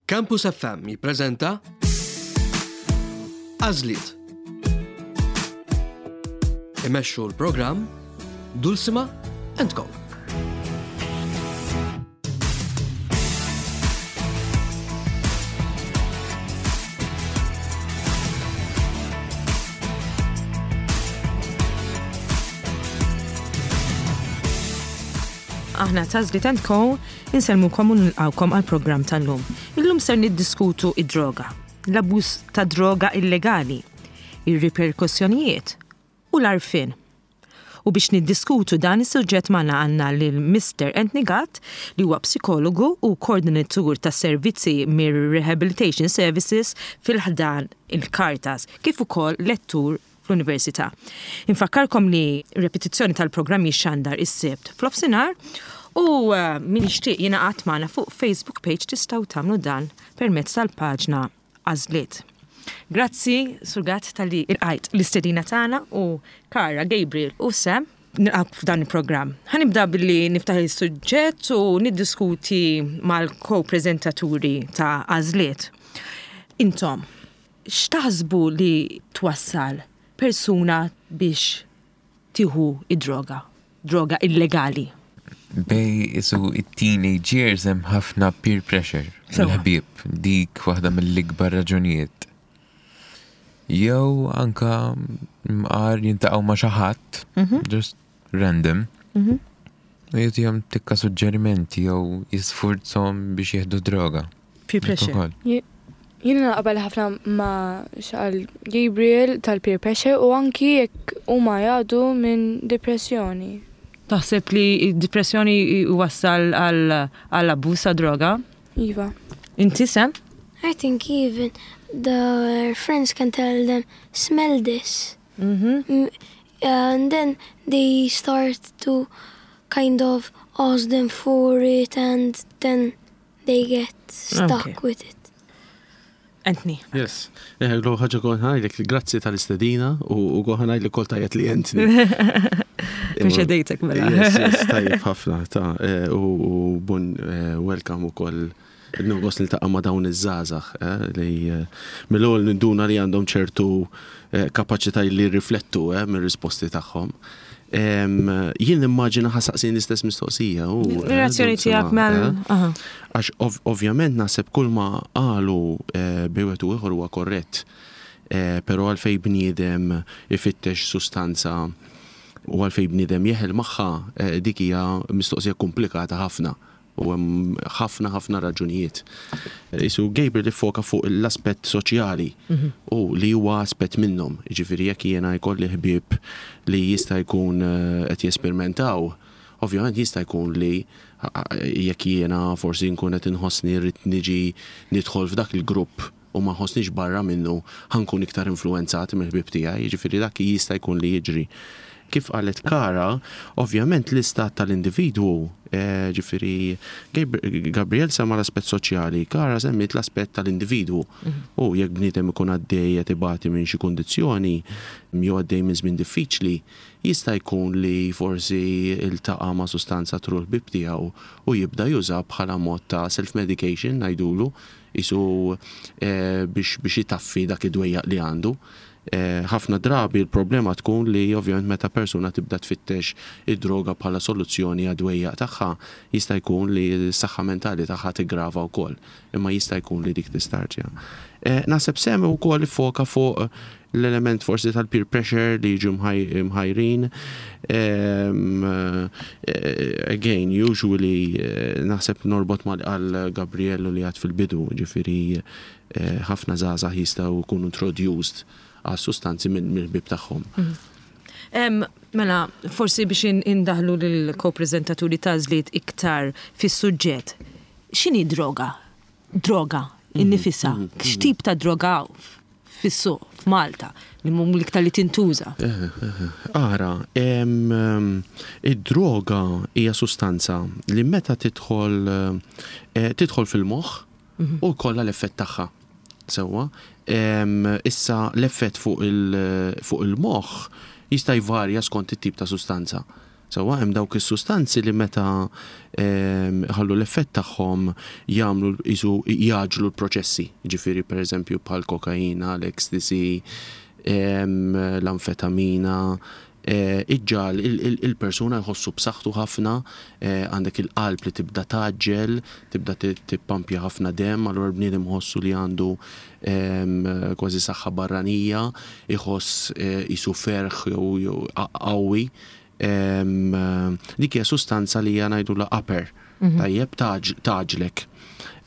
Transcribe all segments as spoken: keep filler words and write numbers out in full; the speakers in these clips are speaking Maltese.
Campus F M jippreżenta Għażliet. Imexxu l-programm Dulsima and Co. Aħna ta' Għażliet and Co insellmukom u nilqawkom għal programm tal-lum. Illum ser niddiskutu id-droga, l-abbuż ta' droga illegali, ir-riperkussjonijiet u l-għarfien. U biex niddiskutu dan is-suġġett magħna għandna lil Mister Anthony Gatt, li huwa psikologu u koordinatur ta' servizzi mir Rehabilitation Services fil-ħdan il-Caritas, kif ukoll lettur fl-Università. Infakkarkom li repetizzjoni tal-programm jixxandar is-Sibt f'nofsinhar u uh, min jixtieq jingħaqad magħna fuq Facebook page, tistgħu tagħmlu dan permezz tal-paġna Għażliet. Grazzi, Sur Gatt, talli lqajt l-istedina tagħna u Kara, Gabriel u Sam, nilqgħek f'dan il-programm. Ħa nibda billi niftaħ il-suġġett u niddiskuti mal-ko-prezentaturi ta' Għażliet. Intom, x'taħsbu li twassal persuna biex tieħu id-droga, droga illegali? Bejn isu it-teenage years hemm ħafna peer pressure. Sewa. Il-ħbieb, dik waħda mill-ikbar raġunijiet. Jew anka mqar jiltaqgħu ma' xi ħadd, just random, u jagħtihom tikka suġġerimenti jew jisfurzhom biex jieħdu droga. Peer pressure. Ukoll. Jiena naqbel ħafna ma' x'qal Gabriel tal-peer pressure u anki jekk huma jgħaddu minn depressjoni. Taħseb li d-depressjoni wassal għal abbuż ta' droga? Iva. Inti, Sam? I think even their friends can tell them, "Smell this." Mm, And then they start to kind of ask them for it and then they get stuck Okay. with it. Anthony. Yes. L ħaġa kont ħa ngħidlek grazzi tal-istedina u u kont ħa ngħidlek kol tajjeb li Anthony. Preċedejtek mela. Yes, yes, tajjeb ħafna ta' eh, u u bun eh, welcome ukoll il-nogos li ta' ma' dawn iż-żgħażagħ eh, li eh, mill-ewwel ninduna li għandhom ċertu eh, kapaċità li riflettu eh, mir-risposti tagħhom. Em, Jien nimmaġina ħa ssaqsini l-istess mistoqsija. u, eh, Reazzjoni Dulcima, tiegħek mal. eh. Aha. Għax ov ovvjament naħseb kull ma qalu eh, bejn wieħed u ieħor huwa korrett. Eh, Però għalfej bniedem ifittex sustanza u għalfej bniedem jeħel magħha, eh, dik hija mistoqsija komplikata ħafna u hemm ħafna ħafna raġunijiet. Isu Gabriel iffoka fuq l-aspett soċjali u li huwa aspett minnhom. Jiġifieri jekk jiena jkolli ħbieb li jista' jkun eh, qed jesperimentaw, ovvjament jista' jkun li jekk jiena forsi nkun qed inħossni rrid niġi nidħol f'dak il-grupp u ma nħossnix barra minnu, ħa nkun iktar influenzat mill-ħbieb tiegħi, jiġifieri dak jista' jkun li jiġri. Kif qalet Kara, ovvjament l-istat tal-individwu, eh, ġifieri Gabriel semma l-aspett soċjali, Kara semmiet l-aspett tal-individwu. U jekk bniedem ikun għaddej qed ibati minn xi kundizzjoni jew għaddej minn żmien diffiċli, jista' jkun li forsi iltaqa' ma' sustanza through l-ħbieb tiegħu u jibda juża bħala mod ta' self-medication ngħidulu, isu eh, biex biex jitaffi dak id-dwejjaq li għandu. Eh, ħafna drabi il-problema tkun li ovvjament meta persuna tibda tfittex id-droga bħala soluzzjoni għad-dwejjaq tagħha, jista' jkun li s-saħħa mentali tagħha tigrava wkoll, imma jista' jkun li dik tistartja. Eh, Naħseb Sam ukoll foka fuq l-element forsi tal-peer pressure li jiġu mħaj- mħajrin. Em, eh, Again, usually eh, naħseb norbot ma' għal Gabriello li għad fil-bidu, ġifieri eh, ħafna żgħażagħ jistgħu jkunu introduced għal sustanzi minn mill-ħbieb tagħhom. Em, Mela, forsi biex in- indaħlu l-ko-prezentaturi ta' Għażliet iktar fis-suġġett. X'inhi droga? Droga, innifisha. X'tip ta' droga fis-suq f'Malta li mhum l-iktar li tintuża? Ara, em, em, id-droga hija sustanza li meta tidħol eh, tidħol fil-moħħ u jkollha l-effett tagħha. Sewwa, Em, issa l-effett fuq il- fuq il-moħħ jista' jvarja skont it-tip ta' sustanza. Sewwa, hemm dawk is-sustanzi li meta ehm, ħallu l-effett tagħhom jagħmlu isu jgħaġġlu l-proċessi. Ġifieri, pereżempju, bħal kokaina, l-ecstasy, ehm, l-amfetamina, eh, iġġagħal il-persuna jħossu b'saħħtu ħafna, eh, għandek il-qalb li tibda tgħaġġel, tibda tippampja ħafna dem, allura l-bniedem jħossu li għandu ehm, kważi saħħa barranija, iħoss eh, isu ferħ jew qawwi. Ehm, dik hija sustanza li hija ngħidulha upper, mhm. tajjeb, tgħaġġlek.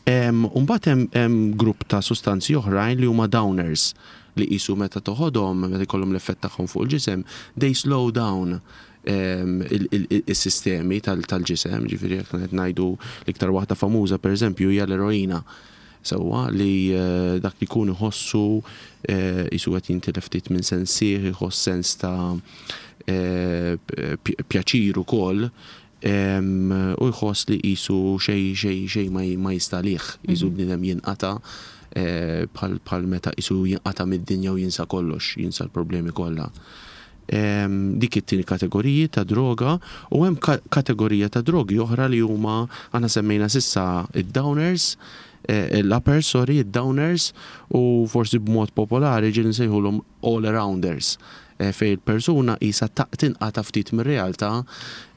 Umbagħad hemm grupp ta' sustanzi oħrajn li huma downers, li qisu meta toħodhom, meta jkollhom l-effett tagħhom fuq il-ġisem, they slow down is-sistemi tal-ġisem. Ġifieri jekk qed ngħidu, l-iktar waħda famuża, pereżempju, hija l-eroina. Sewwa, li eh, dak li jkun iħossu eh, qisu qed jintilef ftit minn sensih, iħoss sens ta' eh, pjaċir ukoll u jħoss li qisu xej xej xej ma jistalih, qisu mhm. bniedem jinqata' bħal meta qisu jinqata' mid-dinja u jinsa kollox, jinsa l-problemi kollha. Dik it-tieni kategoriji ta' droga, u hemm kategorija ta' drogi oħra li huma, aħna semmejna s'issa id-downers, eh, l-uppers, sorry, id-downers, u forsi b'mod popolari ġieli nsejħulhom all-arounders, eh, fej il-persuna qisha tinqata' ftit mir-realtà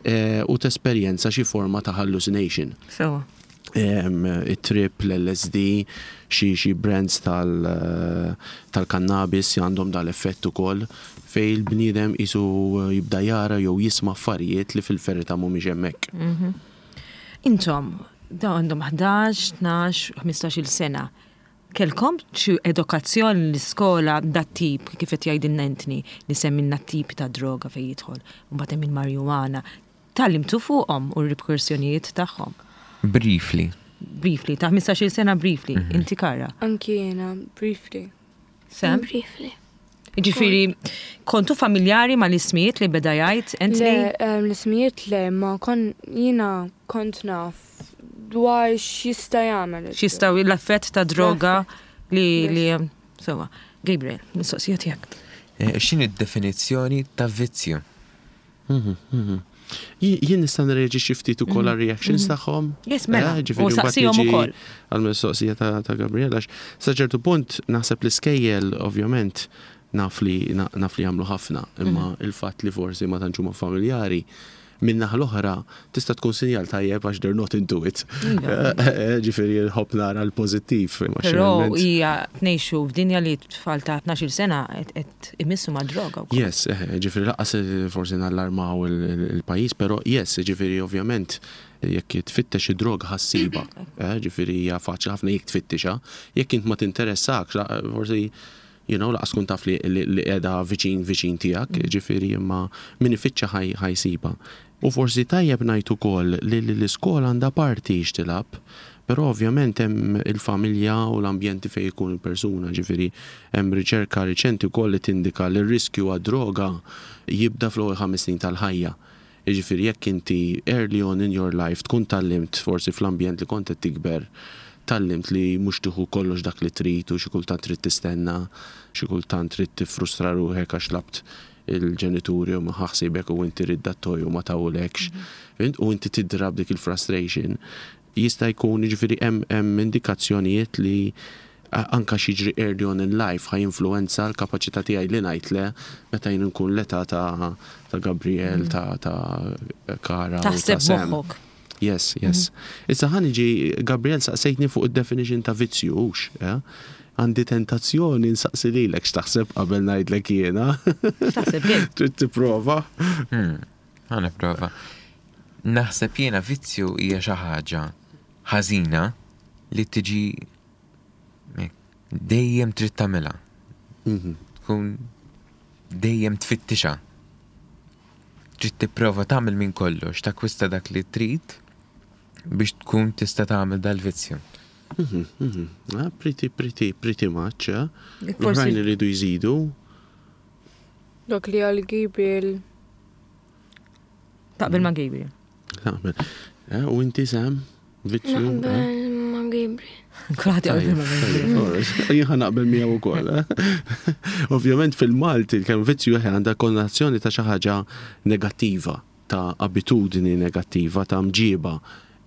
eh, u tesperjenza xi forma ta' hallucination. So. Il-trip, l-L S D, xi xi brands tal-cannabis għandhom dal-effett ukoll fej il-bniedem qisu jibda jara jew jisma' affarijiet li fil-verità mhumiex hemmhekk. Mhm. Intom, dawn għandhom ħdax, tnax, ħmistax-il sena. Kellkom xi edukazzjoni l-iskola dat-tip, kif qed jgħidilna Anthony, li semmilna t-tip ta' droga fejn jidħol, u mbagħad hemm il-marijuana? Tgħallimtu fuqhom u r-riperkussjonijiet tagħhom? Briefly. Briefly, ta' ħmistax-il sena briefly. Mhm. Inti, Kara? Anki jiena, briefly. Sam? Briefly. Ġifieri, kontu familjari ma l-ismijiet li beda jgħid Anthony? Le, l-ismijiet le, ma kon jiena kont naf dwar x'jista' jagħmel. X'jista' l-effett ta' droga li li sewwa. Gabriel, mistoqsija tiegħek. Eh, x'inhi d-definizzjoni ta' vizzju? Mhm, mhm. Jien nista' nreaġixxi ftit ukoll mhm. għal-reactions tagħhom? Yes, mela. Eh, u saqsihom ukoll. Għal-mistoqsija ta' Gabriel, għax sa ċertu punt naħseb l-iskejjel ovvjament naf li naf li jagħmlu ħafna, imma il-fatt li forsi ma tantx huma familjari, min-naħa l-oħra tista' tkun sinjal tajjeb għax they're not into it. Iva. Ġifieri nħobb nara l-pożittiv. Però hija ngħixu f'dinja li tfal ta' tnax-il sena qed imissu ma' droga wkoll. Yes, eh, ġifieri lanqas forsi nallarmaw il-pajjiż, però yes, ġifieri ovvjament jekk tfittex id-droga ħa ssibha. Eh, ġifieri hija faċli ħafna jekk tfittixha. Jekk int ma tinteressakx, forsi you know, lanqas tkun taf li qiegħda viċin viċin tiegħek, mm. ġifieri imma min ifittxa ħa jsibha. U forsi tajjeb ngħid ukoll li l-iskola għandha parti x'tilgħab, però ovvjament hemm il-familja u l-ambjenti fejn ikun il-persuna. Ġifieri hemm riċerka riċenti wkoll li tindika li r-riskju għad-droga jibda fl-ewwel ħames snin tal-ħajja. Ġifieri jekk inti early on in your life tkun tgħallimt, forsi fl-ambjent li kont qed tikber, tgħallimt li mhux tieħu kollox dak li trid u xi kultant trid tistenna, xi kultant trid tifrustra ruħek għax tlabt il-ġenituri u ħaħsibek u inti trid dat-toy u ma tawlekx. Mhm. U inti tidrab dik il-frustration. Jista' jkun, ġifieri hemm indikazzjonijiet li anka x'jiġri early on in life ħa jinfluwenza l-kapaċità tiegħi li ngħid le meta jien nkun l-età ta' ta' Gabriel, mhm. ta' ta' Kara. Taħseb moħħok. Yes, yes. Mhm. Issa ħa niġi, Gabriel, saqsejtni fuq id-definition ta' vizzju, hux, eh? Għandi tentazzjoni nsaqsi lilek x'taħseb qabel ngħidlek jiena. X'taħseb? Trid tipprova? Hmm, ħa nipprova. Naħseb jiena vizzju hija xi ħaġa ħażina li tiġi dejjem trid tagħmilha. Mhm. Tkun dejjem tfittixha. Trid tipprova tagħmel minn kollox, takkwista dak li trid biex tkun tista' tagħmel dal-vizzju. Mhm, mhm. Ah, pretty, pretty, pretty much, eh? L-oħrajn iridu jżidu. Dak li qal Gabriel. Taqbel ma' Gabriel. Taqbel. Eh, u inti, Sam? Vizzju? Naqbel ma' Gabriel. Kulħadd jaqbel ma' Gabriel. Jien ħa naqbel miegħu wkoll. Eh? Ovvjament fil-Malti il-kelma vizzju għandha konnotazzjoni ta' xi ħaġa negattiva. ta' abitudni negattiva, ta' mġiba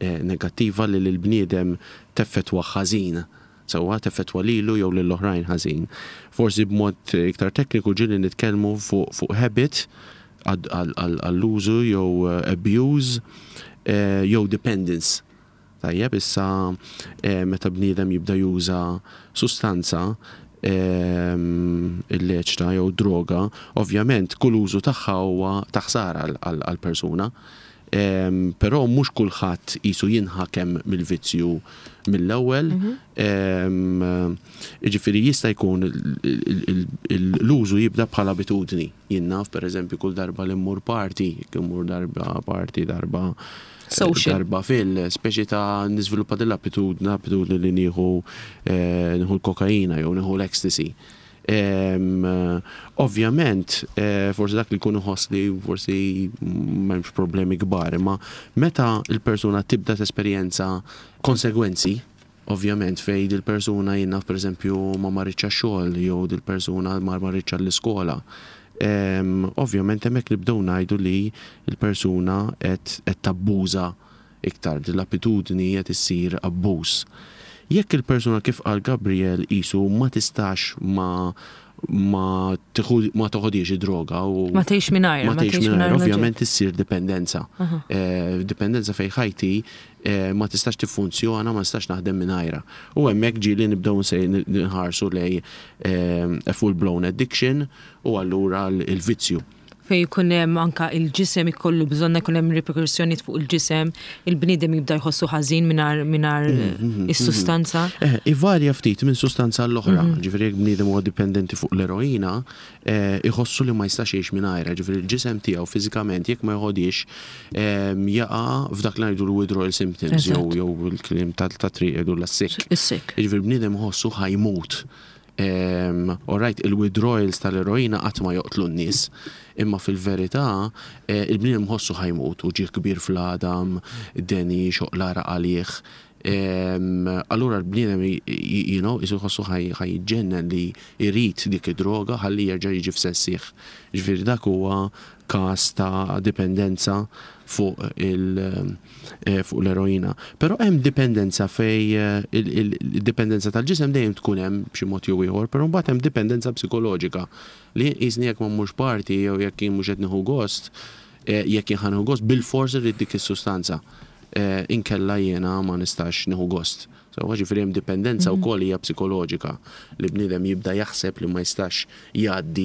eh, negattiva li l-bniedem teffettwa ħażin. Sewwa, teffettwa lilu jew lill-oħrajn ħażin. Forsi b'mod iktar tekniku ġieli nitkellmu fuq fuq habit għall-użu jew eh, abuse eh, jew dependence. Tajjeb, issa eh, meta bniedem jibda juża sustanza ehm, illeċita jew droga, ovvjament kull użu tagħha huwa ta' ħsara għall-persuna. Ehm, Però mhux kulħadd qisu jinħakem mill-vizzju mill-ewwel. Ehm, Jiġifieri jista' jkun l-użu jibda bħala abitudni. Jien naf, pereżempju, kull darba li mmur party, jekk immur darba party, darba Social. Darba fil, speċi ta' niżviluppa dell-abitudni, abitudni li nieħu eh, nieħu l-kokaina jew nieħu l-ecstasy. Em, Ovvjament, eh, forsi dak li jkun iħoss li forsi m'hemmx problemi kbar, imma meta il-persuna tibda tesperjenza konsegwenzi, ovvjament fej dil-persuna, jien naf, per eżempju, ma marritx għax-xogħol jew dil-persuna ma marritx għall-iskola. Em, Ovvjament hemmhekk nibdew ngħidu li l-persuna qed qed tabbuża iktar, l-abitudni qed issir abbuż. Jekk il-persuna, kif qal Gabriel, qisu ma tistax ma ma tieħu- ma toħodiex droga u Ma tgħix mingħajr, ma tgħix mingħajr, l-oġġett. Ovvjament issir dipendenza. Eh, Dipendenza fej ħajti eh, ma tistax tiffunzjona, ma tistax naħdem mingħajra. U hemmhekk ġieli nibdew nsej- nħarsu lej eh, a full blown addiction u allura l- il-vizzju. Fej jkun hemm anka il-ġisem ikollu bżonna, jkun hemm riperkussjonijiet fuq il-ġisem, il-bniedem jibda jħossu ħażin mingħajr mingħajr is-sustanza. Eh, ivarja ftit minn sustanza l-oħra. Ġifieri jekk bniedem huwa dipendenti fuq l-eroina, eh, iħossu li ma jistax jgħix mingħajra. Ġifieri il-ġisem tiegħu fiżikament jekk ma jħodix em, jaqa' f'dak li ngħidu l-withdrawal symptoms jew Eżatt. jew il-kliem ta' triq jgħidu l-sick. Is-sick. Ġifieri bniedem iħossu ħa jmut. Um, Alright, il-withdrawals tal-eroina qatt ma joqtlu n-nies, imma fil-verità eh, il-bniedem ħossu ħa jmut, uġigħ kbir fl-għadam, deni, xoqq l-għaraq għalih. Um, allura l-bniedem you know, qisu jħossu ħa jiġġennen li jrid dik id-droga ħalli jerġa' jiġi f'sensih. Ġifieri dak huwa każ ta' dipendenza fuq il eh, fuq l-eroina. Però hemm dipendenza fej eh, il- il- il-dipendenza tal-ġisem dejjem tkun hemm b'xi mod jew ieħor, però mbagħad hemm dipendenza psikoloġika li jiżni jekk ma mmurx party jew jekk jien mhux qed nieħu gost, eh, jekk jien ħa nieħu gost bil-fors irrid dik is-sustanza. Eh, Inkella jiena ma nistax nieħu gost. So, ġifieri hemm dipendenza wkoll hija psikoloġika li bniedem jibda jaħseb li ma jistax jgħaddi,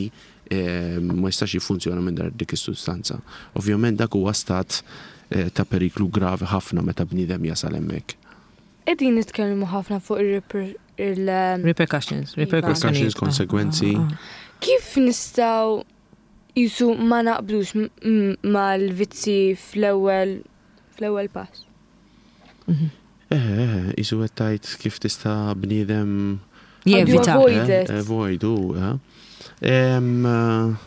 eh, ma jistax jiffunzjona minn dik is-sustanza. Ovvjament dak huwa stat eh, ta' periklu gravi ħafna meta bniedem jasal hemmhekk. Qegħdin nitkellmu ħafna fuq il- il- Repercussions, Repercussions, repercussions. konsegwenzi. Kif nistgħu qisu ma naqblux m- m- mal-vizzi fl-ewwel fl-ewwel pass? Eh, eh, qisu qed tgħid kif tista' bniedem Jevita. Avoid Eh, it. Avoid, u, eh. Em,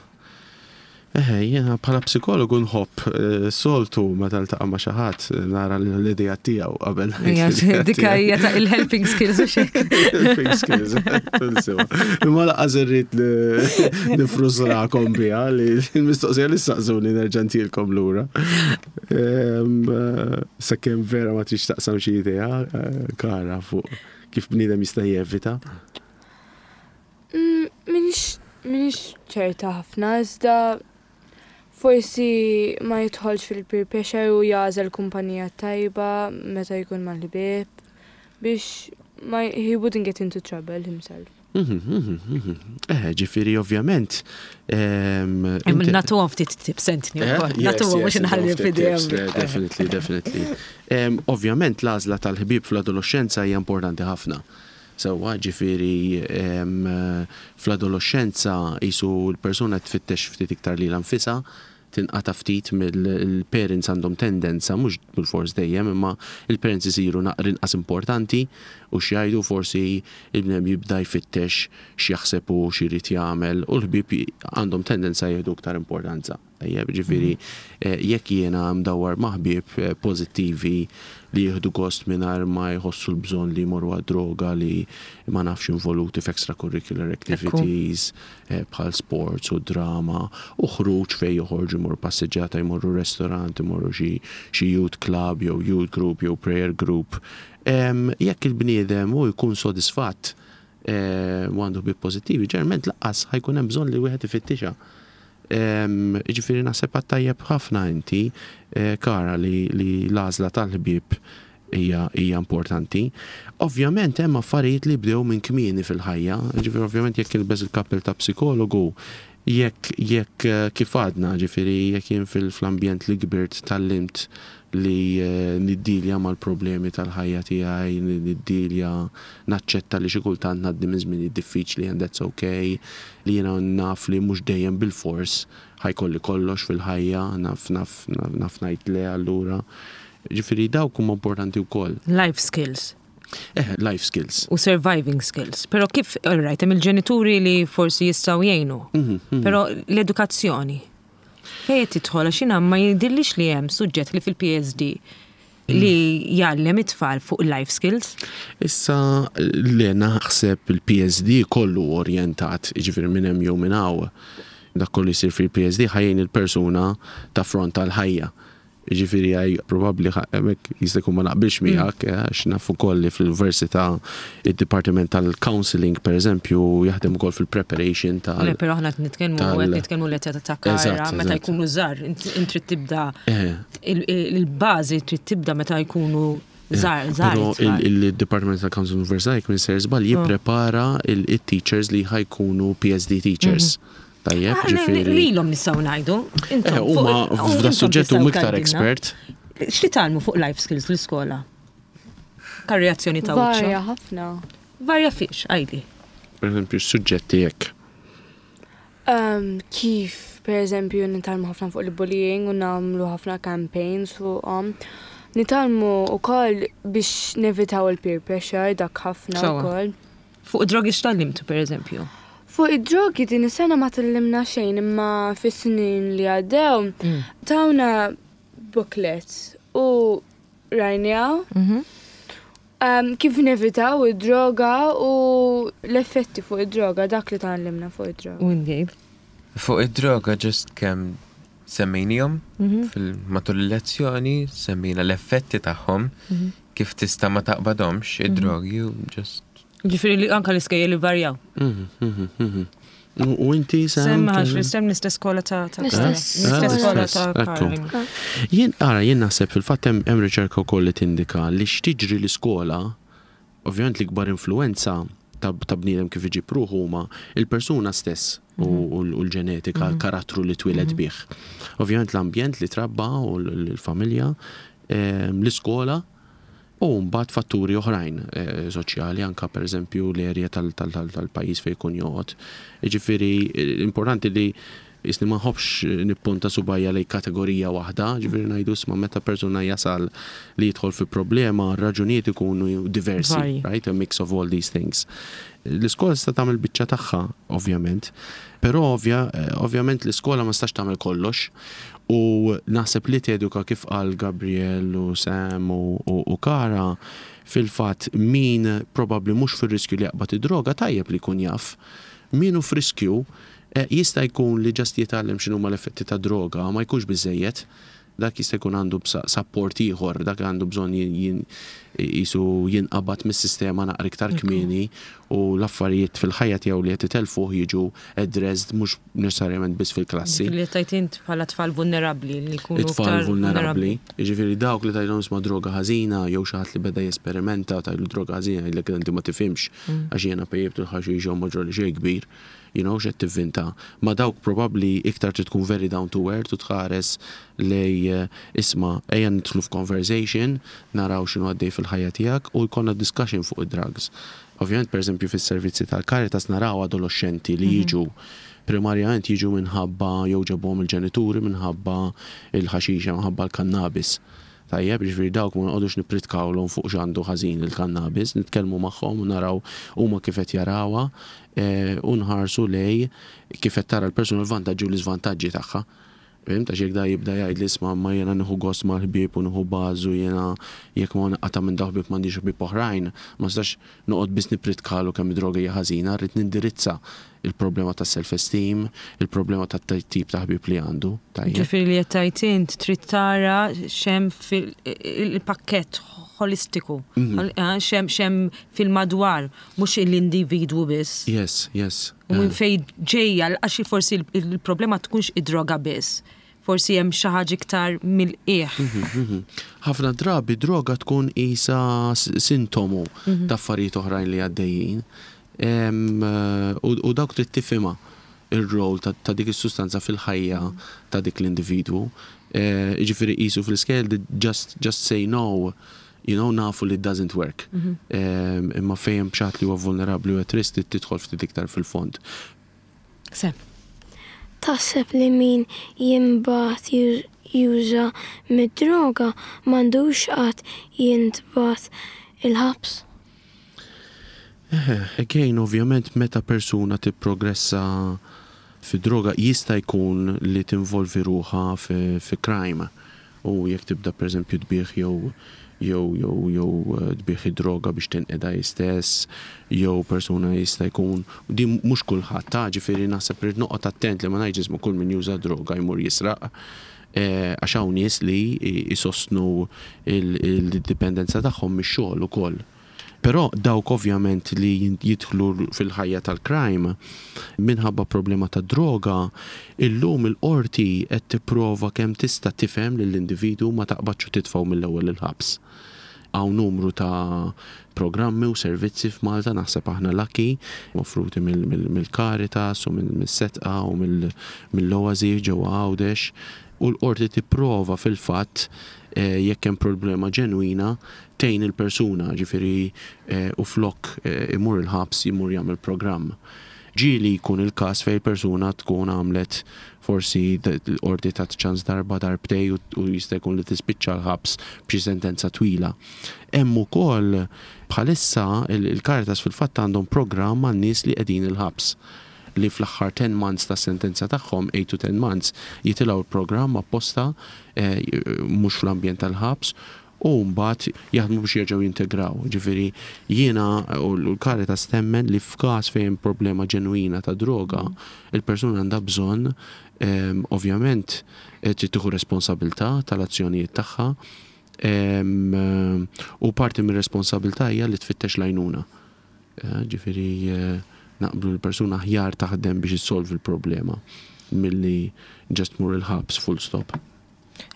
Eh, jena bħala psikologu nħobb eh, soltu meta ltaqa' ma' xi ħadd nara l-idea tiegħu qabel. Dika hija ta' il-helping skills u xek. Helping skills. Tinsewa. Imma lanqas irrid nifrustrakom biha li l-mistoqsija li saqsuni nerġa' ntilkom lura. Em, eh, Sakemm vera ma trix taqsam xi idea eh, Kara, fuq kif bniedem jista' jevita. Mm, Minix minix ċerta ħafna, iżda forsi ma jidħolx fil-peer pressure u jagħżel kumpanija tajba meta jkun mal-ħbieb biex ma he wouldn't get into trouble himself. Mhm, mhm, mhm. Eh, ġifieri ovvjament. em, inti- Nagħtuhom ftit tips, Anthony. Eh, ukoll. yes, Nagħtuhom mhux yes, nħalli ftit f'idejhom. tips, eh, Definitely, definitely. Em, Ovvjament l-għażla tal-ħbieb fl-adolescenza hija importanti ħafna. Sewwa, ġifieri em, fl-adolescenza qisu l-persuna tfittex ftit iktar lilha nfisha, tinqata ftit mill-parents, għandhom tendenza, mhux bil-fors dejjem, imma il-parents isiru naqra inqas importanti u x'jgħidu, forsi il-bniedem jibda jfittex x'jaħseb u x'irid jagħmel u l-ħbieb għandhom tendenza jieħdu iktar importanza. Tajjeb, ġifieri eh, jekk jiena mdawwar ma' ħbieb eh, pożittivi li jieħdu gost mingħajr ma jħossu l-bżonn li jmorru għad-droga, li ma nafx involuti f'extracurricular activities eh, bħal sports u drama u ħruġ fej joħorġu, jmorru passeġġata, jmorru restaurant, jmorru xi xi youth club jew youth group jew prayer group. Em, Jekk il-bniedem u jkun sodisfatt eh, u għandu ħbieb pożittivi, ġeneralment lanqas ħa jkun hemm bżonn li wieħed ifittixha. Em, Ġifieri naħseb għedt tajjeb ħafna inti, eh, Kara, li, li l-għażla tal-ħbieb hija hija importanti. Ovvjament hemm affarijiet li bdew minn kmieni fil-ħajja, ġifieri ovvjament jekk ilbes il-kappell ta' psikologu, jekk jekk eh, kif għadna, ġifieri jekk jien fil-ambjent li kbirt tgħallimt li eh, niddilja mal-problemi tal-ħajja tiegħi, niddilja, naċċetta li xi kultant ngħaddi minn żmien diffiċli and that's okay, li jiena naf li mhux dejjem bil-fors ħa jkolli kollox fil-ħajja, naf naf naf, naf ngħid le allura. Ġifieri dawk huma importanti wkoll. Life skills. Eh, life skills. U surviving skills. Pero kif, all right, hemm il-ġenituri li forsi jistgħu jgħinu. Mhm, mhm. Pero l-edukazzjoni. Fejn qed tidħol, għax jiena ma jidhirlix li hemm suġġett li fil-P S D li jgħallem it-tfal fuq life skills. Issa li naħseb il-P S D kollu orientat, ġifieri minn hemm jew minn hawn, dak kollu jsir fil-P S D ħa jgħin il-persuna taffronta l-ħajja. Ġifieri għaj probabli hemmhekk jista' jkun ma naqbilx miegħek, eh, għax naf ukoll li fl-università id-Dipartiment tal-Counseling, per eżempju, jaħdem ukoll fil-preparation tal- Le, pero aħna qed nitkellmu tal- qed nitkellmu l-età ta' Kara, Eżatt, meta eżatt. jkunu żgħar, int int trid tibda Eh. il- il- il-bażi trid tibda meta jkunu żgħar, żgħar Pero it-tfal. il-Department tal-Counseling Università, jekk m'iniex sejjer żball, jipprepara il-teachers li ħa jkunu P S D teachers. Tajjeb, Ah, le- ġifieri. Lilhom nistgħu ngħidu. Intom Eh, huma fuq- f'da intom suġġett huma tistgħu iktar tgħidilna. expert. X'titgħallmu fuq life skills l-iskola? Ka reazzjoni ta' Varja wiċċu. ħafna. Varja fiex, għidli. Per eżempju, suġġetti jekk. Um, kif, per eżempju, nitgħallmu ħafna fuq il-bullying u nagħmlu ħafna campaigns fuqhom. Nitgħallmu wkoll biex nevitaw il-peer pressure, dak ħafna Sewwa. wkoll. Fuq drogi x'tgħallimtu, per eżempju? Fuq id-drogi din is-sena ma tgħallimna xejn, imma fis-snin li għaddew tawna booklet u rajnieha um, kif nevitaw id-droga u l-effetti fuq id-droga, dak li tgħallimna fuq id-droga. U inti? Fuq id-droga just kemm semmejnihom fil-matul il-lezzjoni, semmejna l-effetti tagħhom, kif tista' ma taqbadhomx id-drogi u just Ġifieri li anka l-iskejjel li varjaw. Mhm, mhm, mhm. U u inti, Sam? Sem għax l-istem l-istess skola ta' ta' L-istess. L-istess Ah, skola l-istess, ta' ekku. Kara. Jien, ara, jien naħseb fil-fatt hemm hemm riċerka wkoll li tindika li x'tiġri l-iskola, ovvjament l-ikbar influenza ta' ta' bniedem kif iġib ruħu huma il-persuna stess u u l- u l-ġenetika, l-karattru li twieled bih. Ovvjament l-ambjent li trabba u l- l-familja, ehm, l-iskola, u mbagħad fatturi oħrajn eh, soċjali, anka per eżempju l-erja tal-pajjiż fejn jkun joqgħod. Ġifieri eh, importanti li jisni ma nħobbx nippunta subgħajja lej kategorija waħda, ġifieri ngħidu isma' meta persuna jasal li jidħol fi problema, raġunijiet ikunu diversi, Varji. right? A mix of all these things. L-iskola tista' tagħmel biċċa tagħha, ovvjament, però ovvja, eh, ovvjament l-iskola ma tistax tagħmel kollox u naħseb li teduka, kif qal Gabriel u Sam u, u, u Kara, fil-fatt min probabli mhux fir-riskju li jaqbad id-droga tajjeb li jkun jaf. Min hu f'riskju eh, jista' jkun li just jitgħallem x'inhuma l-effetti ta' droga ma jkunx biżejjed, dak jista' jkun għandu bsa- support ieħor, dak għandu bżonn jin- jin- jisu jinqabad mis-sistema naqra iktar kmieni u l-affarijiet fil-ħajja tiegħu li qed itelfuh jiġu addressed mhux neċessarjament biss fil-klassi. Li tajt int bħala tfal vulnerabbli li jkunu It-tfal iktar vulnerabbli. Jiġifieri dawk li tgħidilhom isma' droga ħażina jew xi ħadd li beda jesperimenta, tgħidlu droga ħażina, jgħidlek inti ma tifhimx għax jiena pejjibtu l-ħaxix u ma ġrali xejn kbir. You know, x'qed tivvinta. Ma dawk probabbli iktar trid tkun very down to earth u tħares lej eh, isma' ejja nidħlu f'conversation, naraw x'inhu għaddej fil-ħajja tiegħek u jkollna discussion fuq id-drugs. Ovvjament, per eżempju, fis-servizzi tal-Caritas naraw adolescenti li jiġu primarjament jiġu minħabba jew ġabuhom il-ġenituri minħabba il-ħaxixa, minħabba l-kannabis. Tajjeb, ġifieri dawk ma noqogħdux nippritkawlhom fuq x'għandu ħażin il-kannabis, nitkellmu magħhom u naraw huma kif qed jarawha eh, u nħarsu lej kif qed tara l-persuna, l-vantaġġi u l-iżvantaġġi tagħha. Fhimt, għax jekk da jibda jgħid li isma' ma jiena nieħu gost mal-ħbieb u nieħu bażu jiena jekk ma naqta' minn dawn ħbieb m'għandix ħbieb oħrajn, ma nistax noqgħod biss nippritkalu kemm id-droga hija ħażina, rrid nindirizza il-problema ta' self-esteem, il-problema ta' tip ta' ħbieb li għandu. Tajjeb. Ġifieri li qed tgħid int trid tara x'hemm fil-pakkett holistiku, eh, x'hemm x'hemm fil-madwar, mhux l-individwu biss. Yes, yes. U minn fejn ġejja, għax forsi il-problema tkunx id-droga biss. Forsi hemm xi ħaġa iktar mill-qiegħ. Mhm. Ħafna drabi droga tkun isa s- sintomu ta' affarijiet oħrajn li għaddejjin. Em, eh, U u dawk trid tifhimha ir-rol ta' ta' dik is-sustanza fil-ħajja ta' dik l-individwu. Eh, Jiġifieri qisu fl-iskejjel just, just say no, you know, nafu li it doesn't work. Em, Imma fejn xi ħadd li huwa vulnerabbli u at risk trid tidħol ftit iktar fil-fond. Sem. Taħseb li min jintbagħat już- juża mid-droga m'għandux qatt jintbagħat il-ħabs? Eh, again, ovvjament, meta persuna tipprogressa fi droga jista' jkun li tinvolvi ruħha fi, fi crime. U jekk tibda per eżempju tbigħ jew jew jew jew eh, tbigħ id-droga biex tinqeda hi stess, jew persuna jista' jkun u din mhux kulħadd ta' ġifieri naħseb irid noqgħod attent li ma ngħidx isma' kull min juża droga jmur jisraq. Eh, Għax hawn nies li jisostnu il-dipendenza tagħhom mix-xogħol ukoll. Però dawk ovvjament li jidħlu fil-ħajja tal-crime minħabba problema ta' droga, illum il-qorti qed tipprova kemm tista' tifhem lill-individwu ma taqbadx u titfgħu mill-ewwel il-ħabs. Hawn numru ta' programmi u servizzi f'Malta naħseb aħna lucky offruti mill-Caritas u mill-Sedqa u mill-Oasi ġewwa Għawdex u l-qorti tipprova fil-fatt eh, jekk hemm problema ġenwina tgħin il-persuna, ġifieri eh, u flok eh, imur il-ħabs imur jagħmel programm. Ġieli jkun il-każ fejn persuna tkun għamlet forsi l-qorti ta' ċans darba darbtejn u jista' jkun li tispiċċa l-ħabs b'xi sentenza twila. Hemm ukoll bħalissa il-Caritas fil-fatt għandhom programm għan nies li qegħdin il-ħabs li fl-aħħar ten months ta' sentenza tagħhom, eight to ten months, jitilgħu l-programm apposta eh, mhux fl-ambjent tal-ħabs u mbagħad jaħdmu biex jerġgħu jintegraw. Ġifieri jiena u l-Caritas temmen li f'każ fejn problema ġenwina ta' droga, il-persuna għandha bżonn em, ovvjament eh, trid tieħu responsabilità tal-azzjonijiet tagħha em, u parti mir-responsabilità hija li tfittex l-għajnuna. Eh, Ġifieri eh, naqblu l-persuna aħjar taħdem biex issolvi l-problema milli just mur il-ħabs full stop.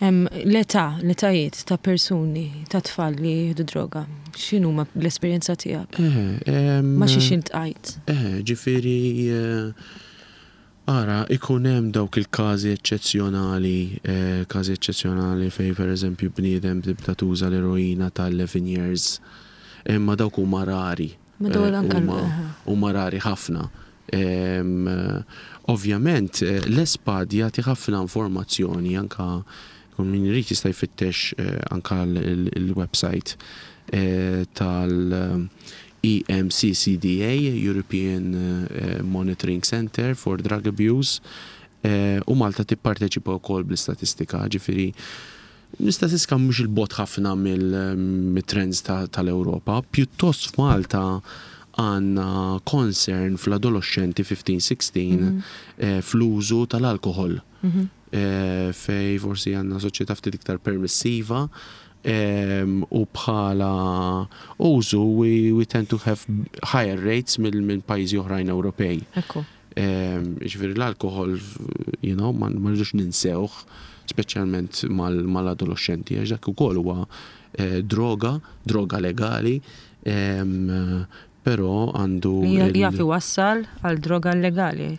Em, L-età, l-etajiet ta' persuni, ta' tfal li jieħdu droga, x'inhuma l-esperjenza tiegħek? Eh, em, Ma xiex iltqajt. Eh, ġifieri, eh, ara, ikun hemm dawk il-każi eċċezzjonali, eh, każi eċċezzjonali fej per eżempju bniedem tibda tuża l-eroina tal-eleven years, imma dawk huma rari. Ma dawn Eh, anka l- huma- aha. huma rari ħafna. Em, eh, Ovvjament, eh, l-ESPAD jagħti ħafna informazzjoni anka kun min irid jista' jfittex eh, anka l- il-website eh, tal- E M C C D A, European eh, Monitoring Center for Drug Abuse, eh, u Malta tipparteċipa wkoll bl-istatistika, ġifieri l-istatistika mhux il-bogħod ħafna mill-trends tal-Ewropa, pjuttost f'Malta għandna concern fl-adolescenti fifteen sixteen eh, fl-użu tal-alkohol. Eh, Fej forsi għandna soċjetà ftit iktar permissiva em, u bħala użu we, we tend to have higher rates mill minn pajjiżi oħrajn Ewropej. Ekku. Em, Ġifieri l-alkohol, you know, ma ma rridux ninsewh, speċjalment mal- mal-adolescenti, għax dak ukoll huwa eh, droga, droga legali, em, però għandu Li il- jaf iwassal għal droga illegali.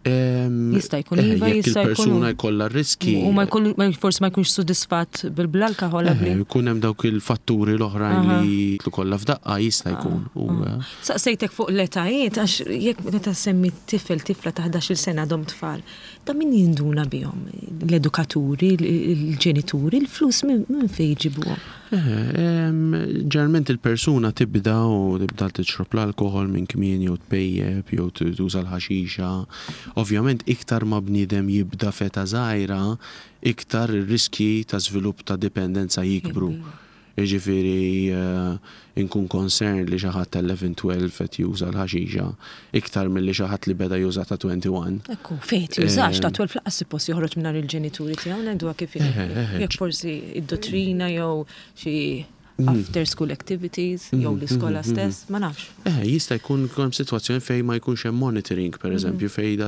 Em, Jista' jkun eh, iva, jekk jista' jkun il-persuna jkollha riski. U ma jkollu, ma forsi ma jkunx sodisfatt bil-alkohol Eh, qabli. jkun hemm dawk il-fatturi l-oħrajn Aha. li jitlu kollha f'daqqa jista' jkun. U, eh, Saqsejtek fuq l-etajiet, għax jekk meta semmi tifel, tifla ta' ħdax-il sena għadhom tfal, da min jinduna bihom? L-edukaturi, l-ġenituri, l-flus minn min fejn jġibuhom? Ġeneralment il-persuna tibda u tibda tixrob l-alkoħol minn kmieni jew tpejjep jew tuża l-ħaxixa. Ovvjament iktar ma bniedem jibda f'età żgħira, iktar ir-riski ta' żvilupp ta' dipendenza jikbru. Jiġifieri inkun concerned li xi ħadd ta' eleven twelve qed juża l-ħaxixa iktar milli xi ħadd li beda juża ta' wieħed u għoxrin. Ekku, fejn jużax ta' tnax lanqas suppost joħroġ minn il-ġenituri tiegħu, ngħiduha kif jekk forsi id-dottrina jew xi after school activities jew l-iskola stess, ma nafx. Eh, jista' jkun hemm sitwazzjoni fejn ma jkunx hemm monitoring, per eżempju, fejn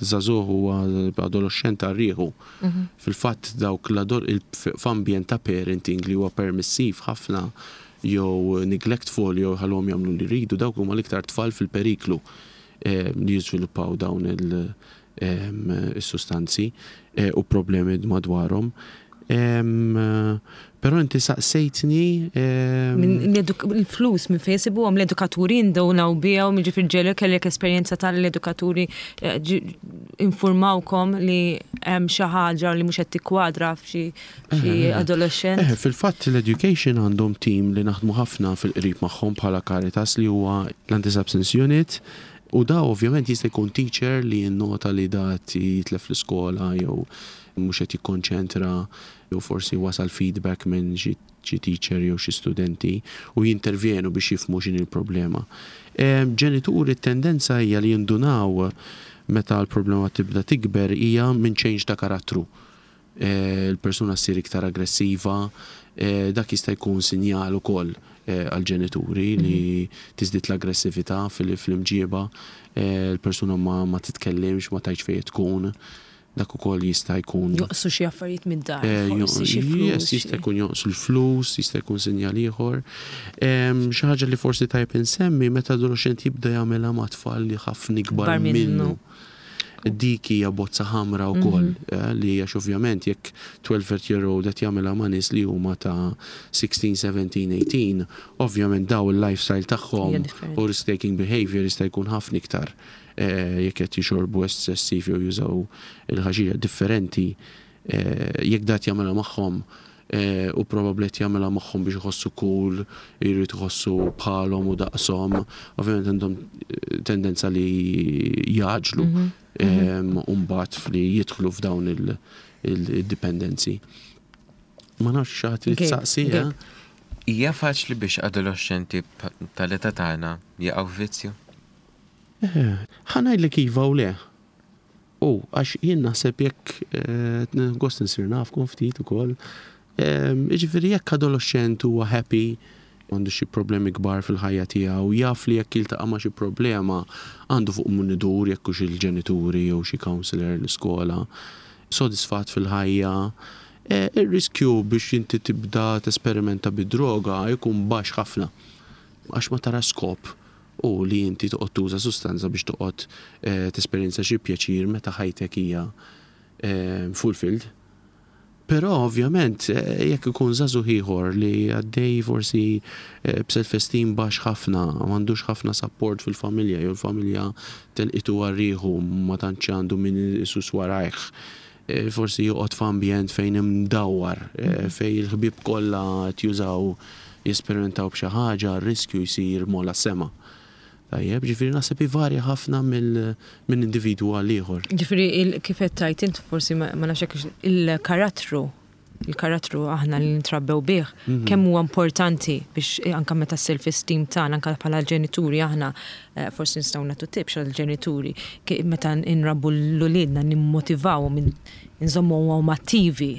żagħżugħ huwa adolescent għal rieħu. Fil-fatt dawk f'ambjent ta' parenting li huwa permissiv ħafna jew neglectful jew ħallhom jagħmlu li jridu, dawk huma l-iktar tfal fil-periklu li jiżviluppaw dawn il-sustanzi u problemi madwarhom. Però inti saqsejtni. Il-flus minn fejn isibuhom l-edukaturi, indunaw bihom, jiġifieri ġieli kellek esperjenza tal-edukaturi informawkom li hemm xi ħaġa li mhux qed tikkwadra f'xi adolescent? Fil-fatt l-education għandhom team li naħdmu ħafna fil-qrib magħhom bħala Caritas, li huwa l-Anti-Substance Unit. U da ovvjament jista' jkun teacher li jinnota li da jitlef l-iskola jew mhux qed jikkonċentra jew forsi wasal feedback minn xi teacher jew xi studenti u jintervjenu biex jifhmu x'inhi l-problema. Ġenituri, tendenza hija li jindunaw meta l-problema tibda tikber hija minn change ta' karattru. Il-persuna ssir iktar aggressiva, dak jista' jkun sinjal ukoll għal-ġenituri li tiżdied l-aggressività fil-imġieba, il-persuna ma titkellimx, ma tgħidx fejn tkun, dak ukoll jista' jkun. Jonqsu xi affarijiet mid-dar, forsi xi flus. Jista' jkun jonqsu l-flus, jista' jkun sinjal ieħor. Xi ħaġa li forsi tajb insemmi, meta adolescent jibda jagħmilha ma' tfal li ħafna ikbar minnu. Dik hija bozza ħamra wkoll, li għax ovvjament jekk twelve year old qed jagħmilha ma' nies li huma ta' sittax, sbatax, tmintax, ovvjament daw il-lifestyle tagħhom u risk taking behavior jista' jkun ħafna iktar jekk qed jixorbu eċċessiv jew jużaw il-ħaxixa differenti, jekk dat jagħmilha magħhom u probabbli qed jagħmilha magħhom biex iħossu cool, jrid iħossu bħalhom u daqshom, ovvjament għandhom tendenza li jgħaġġlu u mbagħad li jidħlu f'dawn il-dipendenzi. Ma nafx xi ħadd li tsaqsi. Hija faċli biex adolescenti tal-età tagħna jaqgħu vizzju? Ħa ngħidlek iva u le. U għax jien naħseb jekk gost nsir nafkom ftit ukoll. Jiġifieri jekk adolescent huwa happy, għandu xi problemi kbar fil-ħajja tiegħu, jaf li jekk jiltaqa' ma' xi problema għandu fuq min idur, jekk hux il-ġenituri jew xi counselor l-iskola, sodisfatt fil-ħajja, ir-riskju biex inti tibda tesperimenta bid-droga jkun baxx ħafna. Għax ma tara skop u li inti toqgħod tuża sustanza biex toqgħod tesperjenza xi pjaċir meta ħajtek hija fulfilled. Però ovvjament jekk ikun żagħżugħ ieħor li għaddej forsi b'self-esteem baxx ħafna, m'għandux ħafna support fil-familja, jew il-familja telqitu għal rieħu, ma tantx għandu min isus warajh, forsi joqgħod f'ambjent fejn imdawwar, fejn il-ħbieb kollha qed jużaw, jesperimentaw b'xi ħaġa, r-riskju jsir m'ogħla sema. Tajjeb, ġifieri naħseb ivarja ħafna minn individwu għal ieħor. Ġifieri kif qed tgħid int, forsi ma nafx hekk, il-karattru, il-karattru aħna li nitrabbew bih, kemm huwa importanti biex anka meta self-esteem tagħna, anka bħala ġenituri aħna forsi nistgħu nagħtu tips għall-ġenituri meta nrabbu l-uliedna, nimmotivawhom, nżommuhom attivi.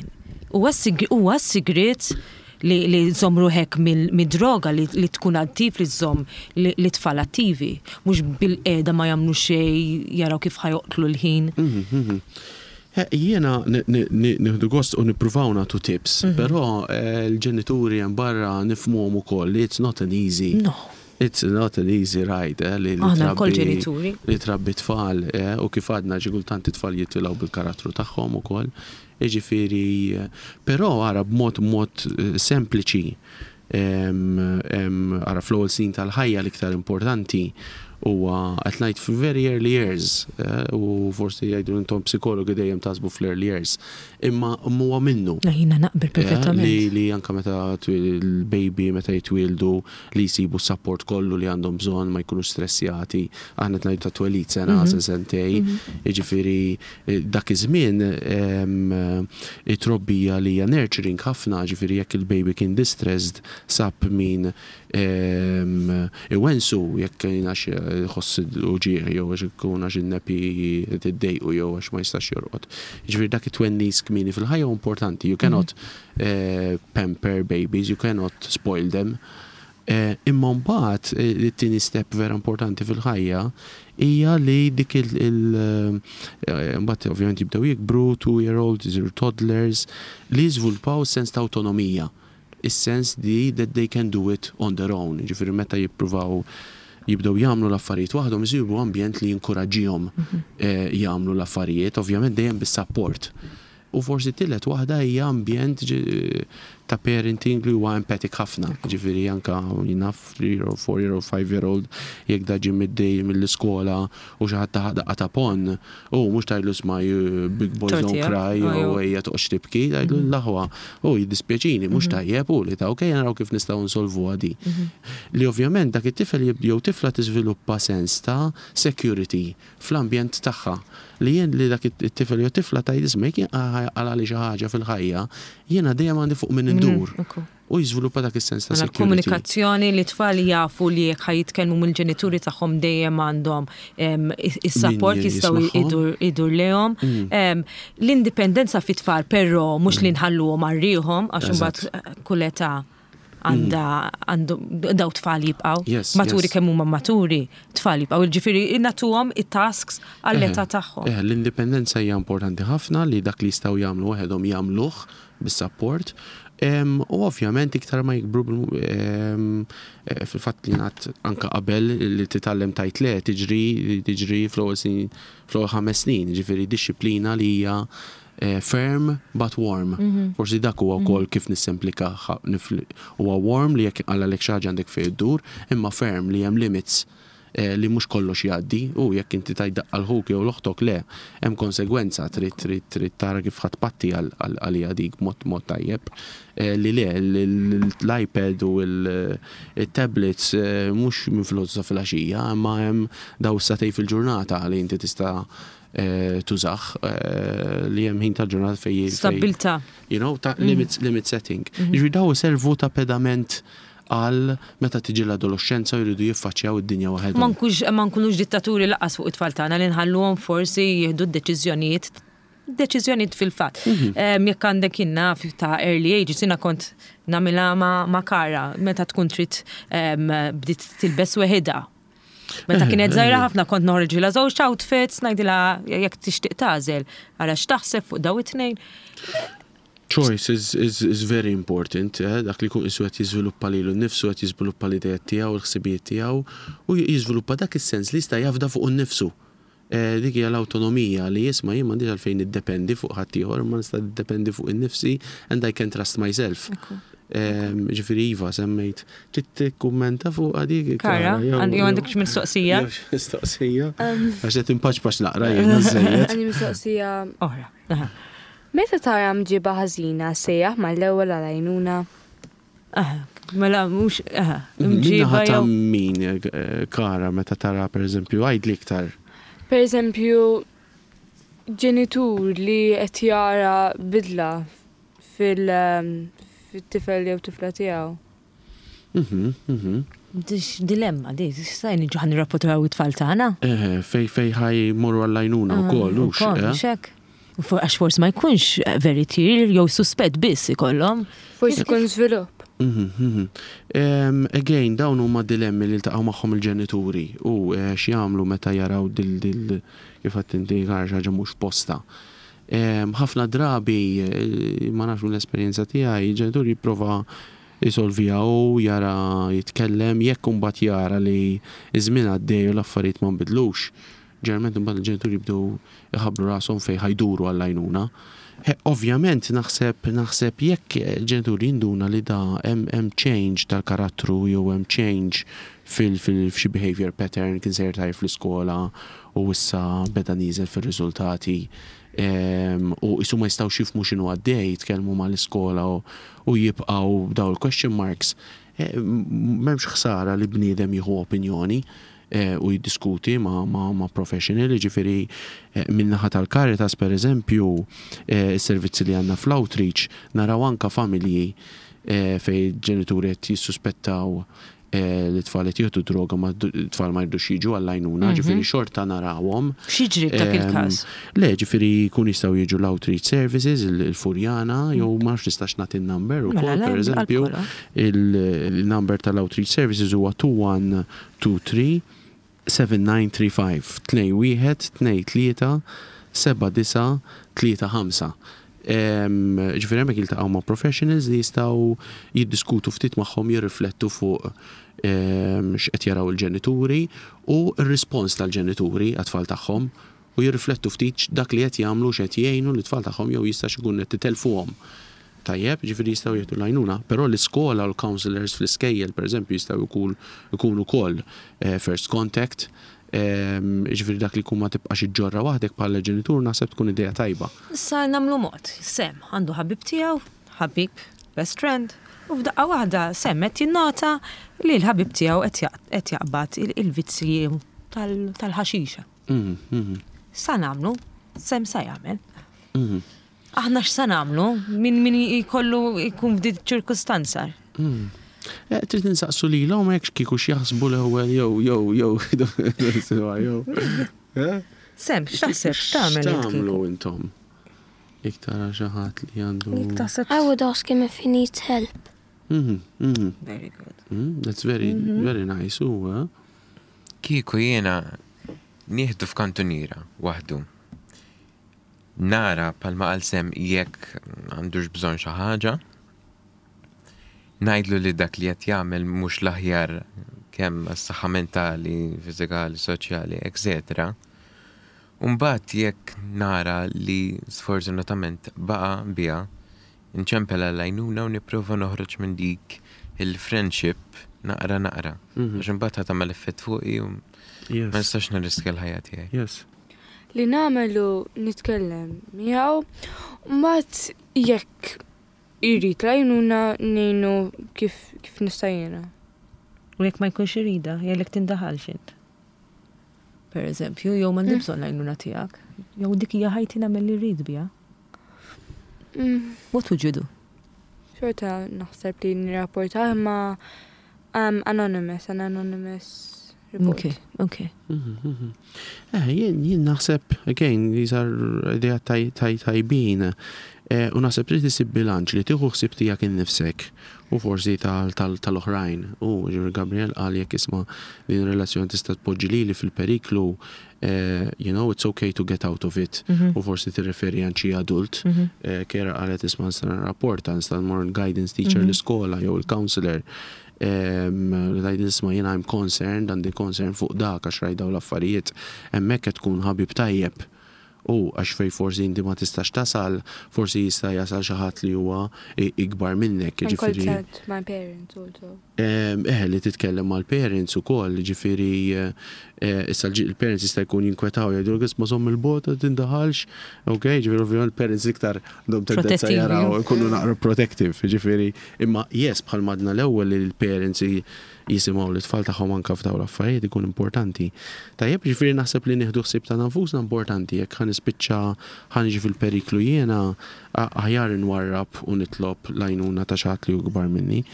Huwa s-sigriet li li żomm ruħek mid-droga li tkun attiv, li żomm li tfal attivi, mhux bil-qiegħda ma jagħmlu xejn, jaraw kif ħa joqtlu l-ħin. Jiena nieħdu gost u nippruvaw nagħtu tips, però l-ġenituri hemm barra nifhmuhom ukoll li it's not an easy. No. It's not an easy ride, eh, li Aħna wkoll ġenituri. Li trabbi tfal, eh, u kif għadna, xi kultant it-tfal jitilgħu bil-karattru tagħhom ukoll. Jiġifieri, però ara b'mod mod sempliċi, ara fl-ewwel snin tal-ħajja l-iktar importanti Huwa qed ngħid very early years, eh, u forsi jgħidu intom psikologi dejjem taħsbu fl-early years, imma huwa minnu. Jiena naqbel perfettament. Li, li anka meta il-baby meta jitwildu li jsibu support kollu li għandhom bżonn, ma jkunu stressjati. Aħna qed ngħidu ta' twelid sena, mm -hmm. sentej, jiġifieri eh, dak iż-żmien it-trobbija li hija nurturing ħafna, ġifieri jekk il-baby kien distressed, sab min iwensu, jekk għax jħoss uġigħ jew għax ikun għax in-nappy tiddejqu jew għax ma jistax jorqod. Ġifieri dak it-twennis kmieni fil-ħajja importanti. You cannot mm. pamper babies, you cannot spoil them. Eh, imma mbagħad eh, it-tieni step vera importanti fil-ħajja hija li dik il- mbagħad ovvjament jibdew jikbru, two year old, isiru toddlers, li jiżviluppaw sens ta' autonomija. Is-sens di that they can do it on their own. Ġifieri meta jippruvaw jibdew jagħmlu l-affarijiet waħdhom, isibu ambjent li jinkoraġġihom mhm. eh, jagħmlu l-affarijiet, ovvjament dejjem bis-support. U forsi tielet waħda hija ambjent ta' parenting li huwa empathic ħafna. Ġifieri anka naf three year old, four year old, five year old, jekk da ġie middej mill-iskola u xi ħadd tah daqqa ta' ponn, u mhux tgħidlu "Isma', big boys don't cry" u ejja toqgħodx tibki, tgħidlu "L-aħwa, u jiddispjaċini, mhux mhm. tajjeb u li ta' okej, naraw kif nistgħu nsolvu di." Mhm. Li ovvjament dak it-tifel jew tifla tiżviluppa sens ta' security fl-ambjent tagħha li jien li dak it-tifel jew tifla tgħid, "Isma', jekk għalali xi ħaġa fil-ħajja, jiena dejjem għandi fuq minn indur." Mm, u jiżviluppa dak is-sens ta' mela security. Komunikazzjoni li tfal jafu li jekk ħa jitkellmu mill-ġenituri tagħhom dejjem għandhom is-support, jistgħu idur lejhom. Mm. L-indipendenza fit-tfal però mhux li nħalluhom għal ruħhom, għax imbagħad kull età għanda għandu daw tfal jibqaw. Yes, Maturi yes. kemm huma maturi, tfal jibqaw. Ġifieri nagħtuhom it-tasks għall-età tagħhom. Eh, l-indipendenza hija importanti ħafna, li dak li jistgħu jagħmlu waħedhom jagħmluh bis-support. Em, U ovvjament iktar ma jikbru bil- em, eh, fil-fatt li ngħad anka qabel li titgħallem tgħid le tiġri tiġri fl-ewwel snin, fl-ewwel ħames snin, ġifieri dixxiplina li hija eh, firm but warm. Forsi dak huwa wkoll kif nissemplika ħa- nifli- huwa warm li jekk għalek xi ħaġa għandek fejn iddur, imma firm li hemm limits eh, li mhux kollox jgħaddi u jekk inti tajt daqqa 'l ħuk jew 'l oħtok, le, hemm konsegwenza, trid trid trid tara kif ħadd patti għalija dik mod mod tajjeb. Eh, li le l-iPad u il-tablets eh, mhux minn filgħodu sa filgħaxija, imma hemm daw sagħtejn fil-ġurnata li inti tista' eh, tużah, eh, li hemm ħin tal-ġurnata fej fej- Stabbiltà. you know, ta' limits, limit setting. Ġifieri daw servu ta' pedament għal meta tiġi l-adolescenza u jridu jiffaċċjaw id-dinja Ma waħedhom. nkunx ma nkunux dittaturi lanqas fuq it-tfal tagħna, li nħalluhom forsi jieħdu d-deċiżjonijiet deċiżjonijiet fil-fatt. Em, Jekk għandek jiena ta' early ages, jiena kont nagħmilha ma' ma' Kara, meta tkun trid em, bdiet tilbes weħidha. Meta kienet żgħira ħafna kont noħorġilha żewġ outfits, ngħidilha jekk tixtieq tagħżel, ara x'taħseb fuq daw it-tnejn. Choice is, is, is very important, eh? Dak li kun isu qed jiżviluppa lilu nnifsu, qed jiżviluppa l-ideat tiegħu, l-ħsibijiet tiegħu, u jiżviluppa dak is-sens li jista' jafda fuq innifsu. Eh, dik hija l-awtonomija li jisma' jien m'għandix għalfejn niddependi fuq ħaddieħor, ma nista' niddependi fuq innifsi and I can trust myself. Em, Ġifieri iva, semmejt. Trid tikkummenta fuq dik? Kara, jew- għand- jew għandek xi mistoqsija? Jew xi mistoqsija? Għax qed inpaċpaċ naqra jiena żejjed. Għandi mistoqsija. Oħra. Aha. Meta tara mġiba ħażina, sejjaħ mal-ewwel għal-għajnuna? Aha. Mela mhux aha, Minnaħa mġiba ta' jew min, eh, Kara, meta tara per eżempju, għajd iktar. Per eżempju, ġenitur li qed jara bidla fil- um, fit-tifel jew tifla tiegħu. Mhm, mhm. Dix dilemma, di, sa niġu ħa nirrapportaw it-tfal tagħna. Eh, fej fej ħa jmorru għall-għajnuna u koll, ux. Ukoll, eh? mhux hekk? U for- Għax forsi ma jkunx very clear jew suspett biss ikollhom. Forsi jkun żvilupp. Mhm, mhm. Em, Again, dawn huma dilemmi li ltaqgħu magħhom il-ġenituri u eh, x'jagħmlu meta jaraw dil dil kif għedt inti Kara, xi ħaġa mhux posta. Em, Ħafna drabi, eh, ma nafx mill-esperjenza tiegħi, il-ġenituri jipprova jisolvija u jara jitkellem, jekk imbagħad jara li iż-żmien għaddej u l-affarijiet ma nbidlux. Ġeneralment imbagħad il-ġenituri jibdew iħabblu rashom fejn ħa jduru għall-għajnuna. He, Ovvjament naħseb naħseb jekk il-ġenituri jinduna li da hemm hemm change tal-karattru jew hemm change fil fil f'xi behavior pattern, kien sejjer tajjeb fl-iskola u issa beda nieżel fir-riżultati em, u qisu ma jistgħux jifhmu x'inhu għaddej, jitkellmu mal-iskola u, u jibqgħu daw il-question marks. Eh, m- M'hemmx ħsara li bniedem jieħu opinjoni eh, u jiddiskuti ma, ma, ma professional, ġifieri eh, min-naħa tal-Caritas, per eżempju, eh, is-servizzi li għandna fl-outreach, naraw anka familji eh, fej ġenituri qed jissuspettaw eh, li tfal qed jieħdu droga, ma tfal ma jridux jiġu għall-għajnuna, ġifieri xorta narawhom. X'jiġri f'dak Em, il-każ? Le, ġifieri jkun jistgħu jiġu l-outreach services, il- il-Furjana, jew ma nafx nistax nagħti n-number Mela, ukoll, le, per eżempju, għal-kola. il-number tal-outreach services huwa two one two three seven nine three five, tnejn wieħed tnejn tlieta seba' disa' tlieta ħamsa. Em, Ġifieri hemmhekk jiltaqgħu ma' professionals li jistgħu jiddiskutu ftit magħhom, jirriflettu fuq em, x'qed jaraw il-ġenituri u r-rispons tal-ġenituri għat-tfal tagħhom u jirriflettu ftit dak li qed jagħmlu, x'qed jgħinu lit-tfal tagħhom jew jistax ikun qed titelfuhom. Tajjeb, ġifieri jistgħu jieħdu l-għajnuna, però l-iskola u l-counselors fl-iskejjel, per eżempju, jistgħu jkun ikunu ukoll eh, first contact, em, ġifieri dak li jkun ma tibqax iġġorra waħdek bħala ġenitur, naħseb tkun idea tajba. Issa nagħmlu mod. Sem għandu ħabib tiegħu, ħabib, best friend, u f'daqqa waħda Sem qed jinnota li l-ħabib tiegħu qed jaq- qed jaqbad il- il-vizzji tal- tal-ħaxixa. Mhm, mhm, Sa nagħmlu, Sem sa jagħmel. mhm. Aħna x'sa nagħmlu min min jkollu jkun f'di ċirkustanza? Mm. Eh, Trid insaqsu lilhom hekk kieku x'jaħsbu l-ewwel jew jew jew jew. Eh? Sem, x'taħseb, x'tagħmel int X'tagħmlu kieku? intom? Jekk tara xi ħadd li għandu. Jekk taħseb. I would ask him if he needs help. Mhm, mhm. Very good. Mm, That's very, very nice. U, eh? Kieku jiena nieħdu f'kantuniera waħdu. Nara bħalma qal Sem jekk għandux bżonn xi ħaġa. Ngħidlu li dak li qed jagħmel mhux l-aħjar kemm għas-saħħa mentali, fiżikali, soċjali, et cetera. Umbagħad jekk nara li sfortunatament baqa' biha, nċempel għall-għajnuna u nipprova noħroġ minn dik il-friendship naqra naqra. Mhm. Għax imbagħad ħa tagħmel effett fuqi u ma Yes. nistax nirriskja l-ħajja tiegħi. Yes. Li nagħmlu, nitkellem miegħu, mbagħad jekk irid l-għajnuna, ngħinu kif kif nista' jiena. U jekk ma jkunx irida, jgħidlek tindaħalx int. Per eżempju, jew m'għandi bżonn l-għajnuna tiegħek, jew dik hija ħajti, nagħmel li rrid biha. Mm, What would you do? Xorta naħseb li nirrapporta imma um, anonymous, an anonymous report. Ok, ok. Mhm, mhm. Eh, jien jien naħseb, again, these are idea taj, taj, tajbin. Eh, u naħseb trid isib bilanċ li tieħu ħsieb tiegħek innifsek u forsi tal- tal- tal-oħrajn. U ġifieri Gabriel qal jekk isma' din relazzjoni tista' tpoġġi lili fil-periklu, eh, you know, it's okay to get out of it. U forsi tirreferi għand xi adult. Eh, Kera qalet isma' nista' nirrapporta, nista' nmur guidance teacher l-iskola jew il-counselor. Li tgħid isma' jiena I'm concerned, għandi concern fuq dak għax rajt dawn l-affarijiet. Hemmhekk qed tkun ħabib tajjeb. U għax fej forsi inti ma tistax tasal, forsi jista' jasal xi ħadd li huwa i- ikbar minnek, And ġifieri. consult my parents also. Em, Eh, li titkellem mal-parents ukoll, ġifieri eh, eh, issa l- il-parents jista' jkun jinkwetaw, jgħidu isma' żomm il-bogħod, tindaħalx, ok, ġifieri ovvjament il-parents iktar għandhom tendenza Protettivi. jaraw ikunu naqra protective, ġifieri imma yes, bħal m'għedna l-ewwel li l-parents i- jisimgħu l-tfal tagħhom anka f'dawn l-affarijiet ikun importanti. Tajjeb, ġifieri naħseb li nieħdu ħsieb ta' nfusna importanti, jekk ħa nispiċċa ħa niġi fil-periklu jiena, a- aħjar nwarrab u nitlob l-għajnuna ta' xi ħadd li hu kbar minni.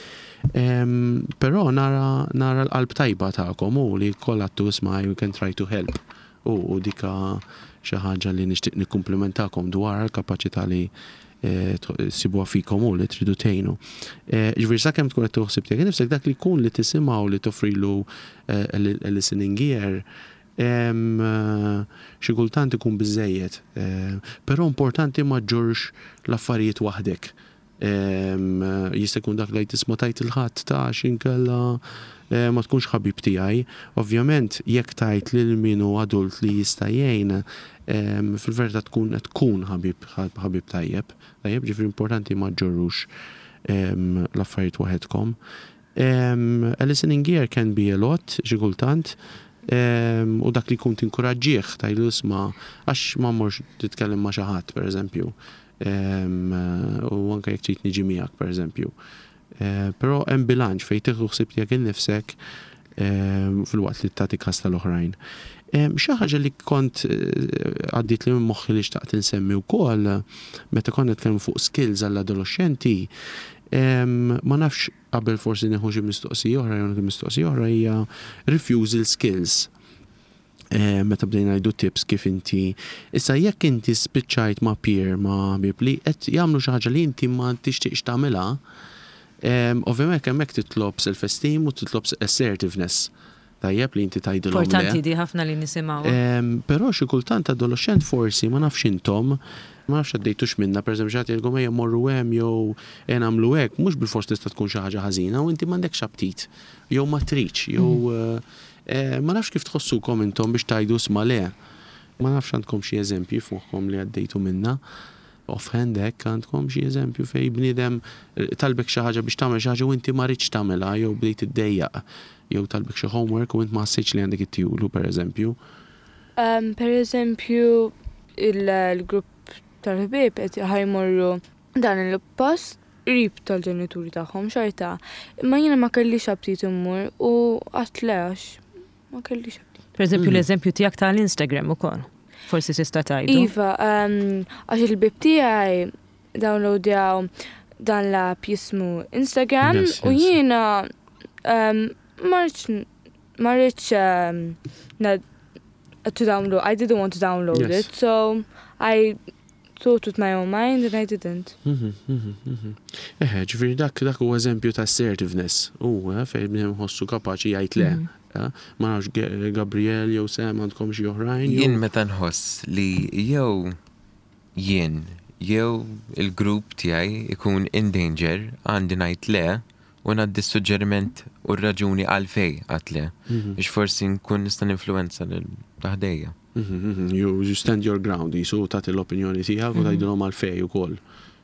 Em, Però nara, nara l-qalb tajba tagħkom u li kollha tu isma' we can try to help. U, u dika xi ħaġa li nixtieq nikkumplimentakom dwar l-kapaċità li eh, sibuha fikom u li tridu tgħinu. Eh, Ġifieri sakemm tkun qed taħseb tiegħek nifsek, dak li jkun li tisimgħu, li toffrilu eh, a listening ear, em, eh, xi kultant ikun biżejjed. Eh, Però importanti ma ġġorrx l-affarijiet waħdek. Em, Jista' jkun dak li tisma' tajt il-ħadd ta' xinkella eh, ma tkunx ħabib tiegħi. Ovvjament, jekk tajt lil min hu adult li jista' jgħin, em, fil-verità tkun qed tkun ħabib ħabib tajjeb. Tajjeb, ġifieri importanti ma ġġorrux em, l-affarijiet waħedkom. Um, a listening ear can be a lot, xi kultant, um, u dak li kun tinkuraġġih tgħidlu isma' għax ma mmorx titkellem ma' xi ħadd, per eżempju. Um, u anke jekk trid niġi miegħek, per eżempju. Uh, Però hemm bilanċ fejn tieħu ħsieb tiegħek innifsek um, filwaqt li tagħti kas tal-oħrajn. Um, Xi ħaġa li kont eh, għaddiet li minn moħħi li xtaqt insemmi wkoll meta konna nitkellmu fuq skills għall-adolescenti, um, ma nafx qabel forsi nieħu xi mistoqsija oħra jew nieħu mistoqsija oħra hija refusal skills. Eh, meta bdejna ngħidu tips kif inti issa jekk inti spiċċajt ma' peer ma' ħbieb li qed jagħmlu xi ħaġa li inti ma tixtieqx tagħmilha, em, ovvjament hemmhekk titlob self-esteem u titlob assertiveness. Tajjeb li inti tgħidilhom le. Importanti di ħafna li nisimgħu. Em, Però xi kultant adolescent forsi ma nafx intom, ma nafx għaddejtux minna, per eżempju, xi ħadd jgħidilkom ejja morru hemm jew ejja nagħmlu hekk, mhux bilfors tista' tkun xi ħaġa ħażina u inti m'għandekx aptit, jew ma tridx, jew eh, eh, ma nafx kif tħossukom intom biex tgħidu isma' le. Ma nafx għandkom xi eżempji fuqkom li għaddejtu minna. Offhand hekk għandkom xi eżempju fej bniedem eh, talbek xi ħaġa biex tagħmel xi ħaġa u inti ma ridx tagħmilha jew bdejt iddejjaq jew talbek xi homework u int ma ħassejtx li għandek ittihulu per eżempju. Um, per eżempju, il-grupp tal-ħbieb qed ħa jmorru dan il-post qrib tal-ġenituri tagħhom xorta. Imma jiena ma kellix aptit immur u għedt le għax ma kellix aptit. Per eżempju, Mm. l-eżempju tiegħek tal-Instagram ukoll. Forsi tista' tgħidu. Iva, um, għax il-ħbieb tiegħi downloadjaw dan l-app jismu Instagram Yes, u yes. jiena um, ma rridx ma rridx um, na- to download, I didn't want to download Yes. it, so I thought with my own mind and I didn't. Mhm, mhm, mhm. Eħe, ġifieri dak dak huwa eżempju ta' assertiveness. U eh, fejn bniedem ħossu kapaċi jgħid le. eh. Ma nafx Ge- Gabriel jew Sam għandkom xi oħrajn. jew- Jien meta nħoss li jew jien jew il-grupp tiegħi ikun in danger għandi ngħid le u ngħaddi suġġeriment u r-raġuni għalfej għedt le. Mhm, Biex forsi nkun nista' ninfluwenza lil ta' ħdejja. mhm, mhm. You you stand your ground, jisu tagħti l-opinjoni tiegħek u tgħidilhom għalfej ukoll.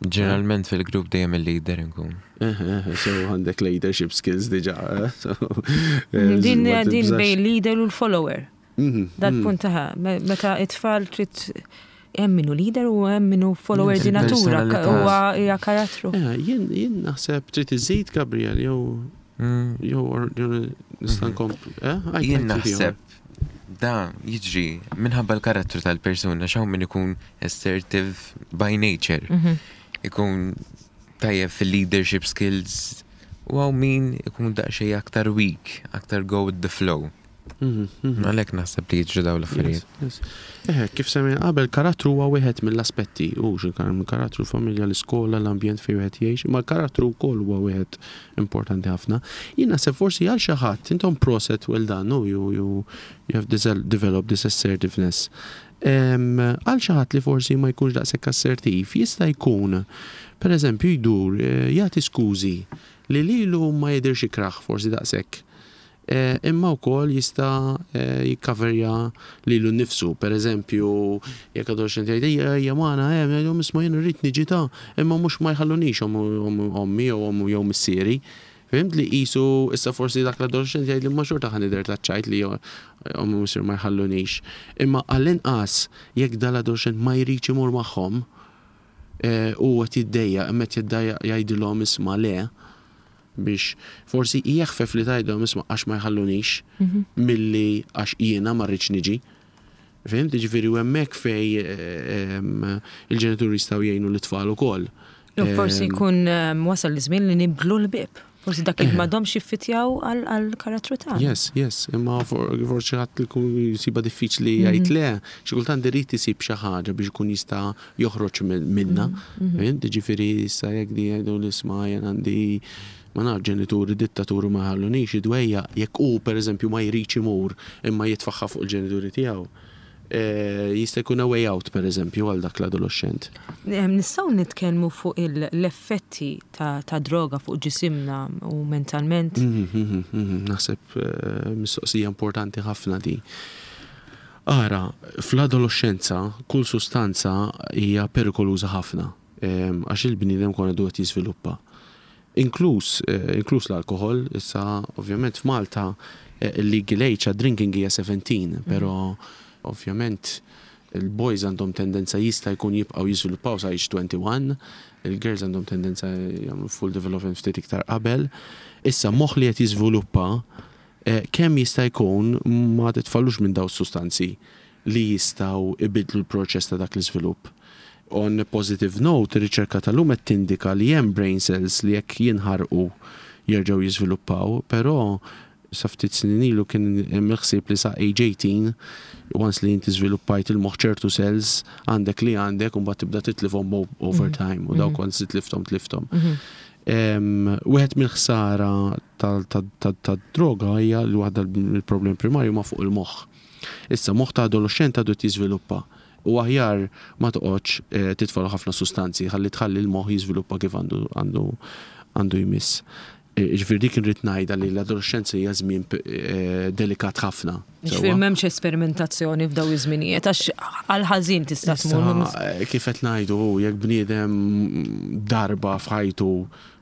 Ġeneralment fil-grupp dejjem il-leader nkun. Eħe, eħe, so għandek leadership skills diġà. eh, so, eh, Din ma din tibżax. bejn leader u l-follower. Mhm, Dal-punt taħ, meta it-tfal trid hemm minnu leader u hemm minnu follower Yes, di natura, il-personalità. huwa hija karattru. Eh, Jien jien naħseb trid iżid Gabriel jew Mm. jew or- jew nista' nkompli. Eh? Għid- Jien għid inti naħseb da jiġri minħabba l-karattru tal-persuna xaw min ikun assertive by nature. Mhm. Ikun tajjeb fil-leadership skills u hawn min ikun daqsxejn aktar weak, aktar go with the flow. Mhm, mhm. Għalhekk naħseb li jiġri dawn l-affarijiet. Yes, yes. Eh, kif semmejna qabel, karattru huwa wieħed mill-aspetti, u karattru familja, l-iskola, l-ambjent fejn wieħed jgħix, ma l-karattru wkoll huwa wieħed importanti ħafna. Jien naħseb forsi għal xi ħadd intom proset well done, no, you, you, you have developed this assertiveness. Em, Għal xi ħadd li forsi ma jkunx daqshekk assertiv, jista' jkun, per eżempju, jdur, eh, jagħti skużi li lilu ma jidirx ikraħ forsi daqshekk. Eh, imma wkoll jista' eh, jikkaverja lilu nnifsu. Per eżempju, jekk adolescent jgħid ejja ejja magħna hemm jgħidu isma' jien irrid niġi ta' imma mhux ma jħallunix ommi jew ommu jew missieri. Fhimt li qisu issa forsi dak l-adolescent jgħid li ma xorta ħa nidher taċ-ċajt li ommi missier ma jħallunix. Imma għall-inqas jekk dal-adolescent ma jridx imur magħhom eh, u qed jiddejjaq imma qed jiddejjaq jgħidilhom isma' le biex forsi jeħfef li tgħidhom isma' għax ma jħallunix milli għax jiena ma rridx niġi. Fhimt, ġifieri u hemmhekk fej eh, em, il-ġenituri jistgħu jgħinu l-tfal ukoll. U forsi Em, jkun em, wasal l-żmien li nibdlu l-ħbieb. Forsi dak il m'għadhomx jiffitjaw għal-karattru tagħna. Yes, yes, imma for- forsi ħadd li jkun jisiba diffiċli jgħid le, xi kultant irid isib xi ħaġa biex ikun jista' joħroġ min- minna. Fhimt, ġifieri issa jekk di jgħidu l-isma' jien għandi ma naf ġenituri dittaturi ma ħallunix idwejja jekk hu pereżempju ma jridx imur imma jitfaħħa fuq il-ġenituri tiegħu. Eh, jista' jkun a way out, per eżempju, għal dak l-adolescent. Nistgħu nitkellmu fuq l-effetti ta', ta droga fuq ġisimna u mentalment? Mhm, mhm, mhm, Naħseb eh, mistoqsija importanti ħafna di. Ara, fl-adolescenza kull sustanza hija perikoluża ħafna għax il-bniedem kon għadu qed jiżviluppa. Inkluż, eh, inkluż l-alkohol, issa ovvjament f'Malta il-legal age drinking hija seventeen, però ovvjament il-boys għandhom tendenza jista' jkun jibqgħu jiżviluppaw sa age twenty-one, il-girls għandhom tendenza jagħmlu full development ftit iktar qabel. Issa moħħ li qed jiżviluppa, eh, kemm jista' jkun ma titfallux minn daw sustanzi li jistgħu ibidlu l-proċess ta' dak l-iżvilupp. On a positive note, ir-riċerka tal-lum qed tindika li hemm brain cells li jekk jinħarqu jerġgħu jiżviluppaw, però sa ftit snin ilu kien hemm il-ħsieb li sa age eighteen, once li inti żviluppajt il-moħħ, ċertu cells għandek li għandek u mbagħad tibda titlifhom over mhm. time u dawk mhm. once titlifthom tlifthom. Mhm. Wieħed mill-ħsara tad-droga hija li waħda mill-problemi primarju ma fuq il-moħħ. Issa moħħ ta' adolescent għadu jiżviluppa u aħjar ma toqgħodx eh, titfgħalu ħafna sustanzi ħalli tħalli l-moħħ jiżviluppa kif għandu għandu għandu jmiss. Ġifieri dik irrid ngħidha li l-adolescenza hija żmien eh, delikat ħafna. Ġifieri m'hemmx esperimentazzjoni f'daw iż-żminijiet għax għal ħażin tista' tmur. Eh, kif qed ngħidu, jekk bniedem darba f'ħajtu,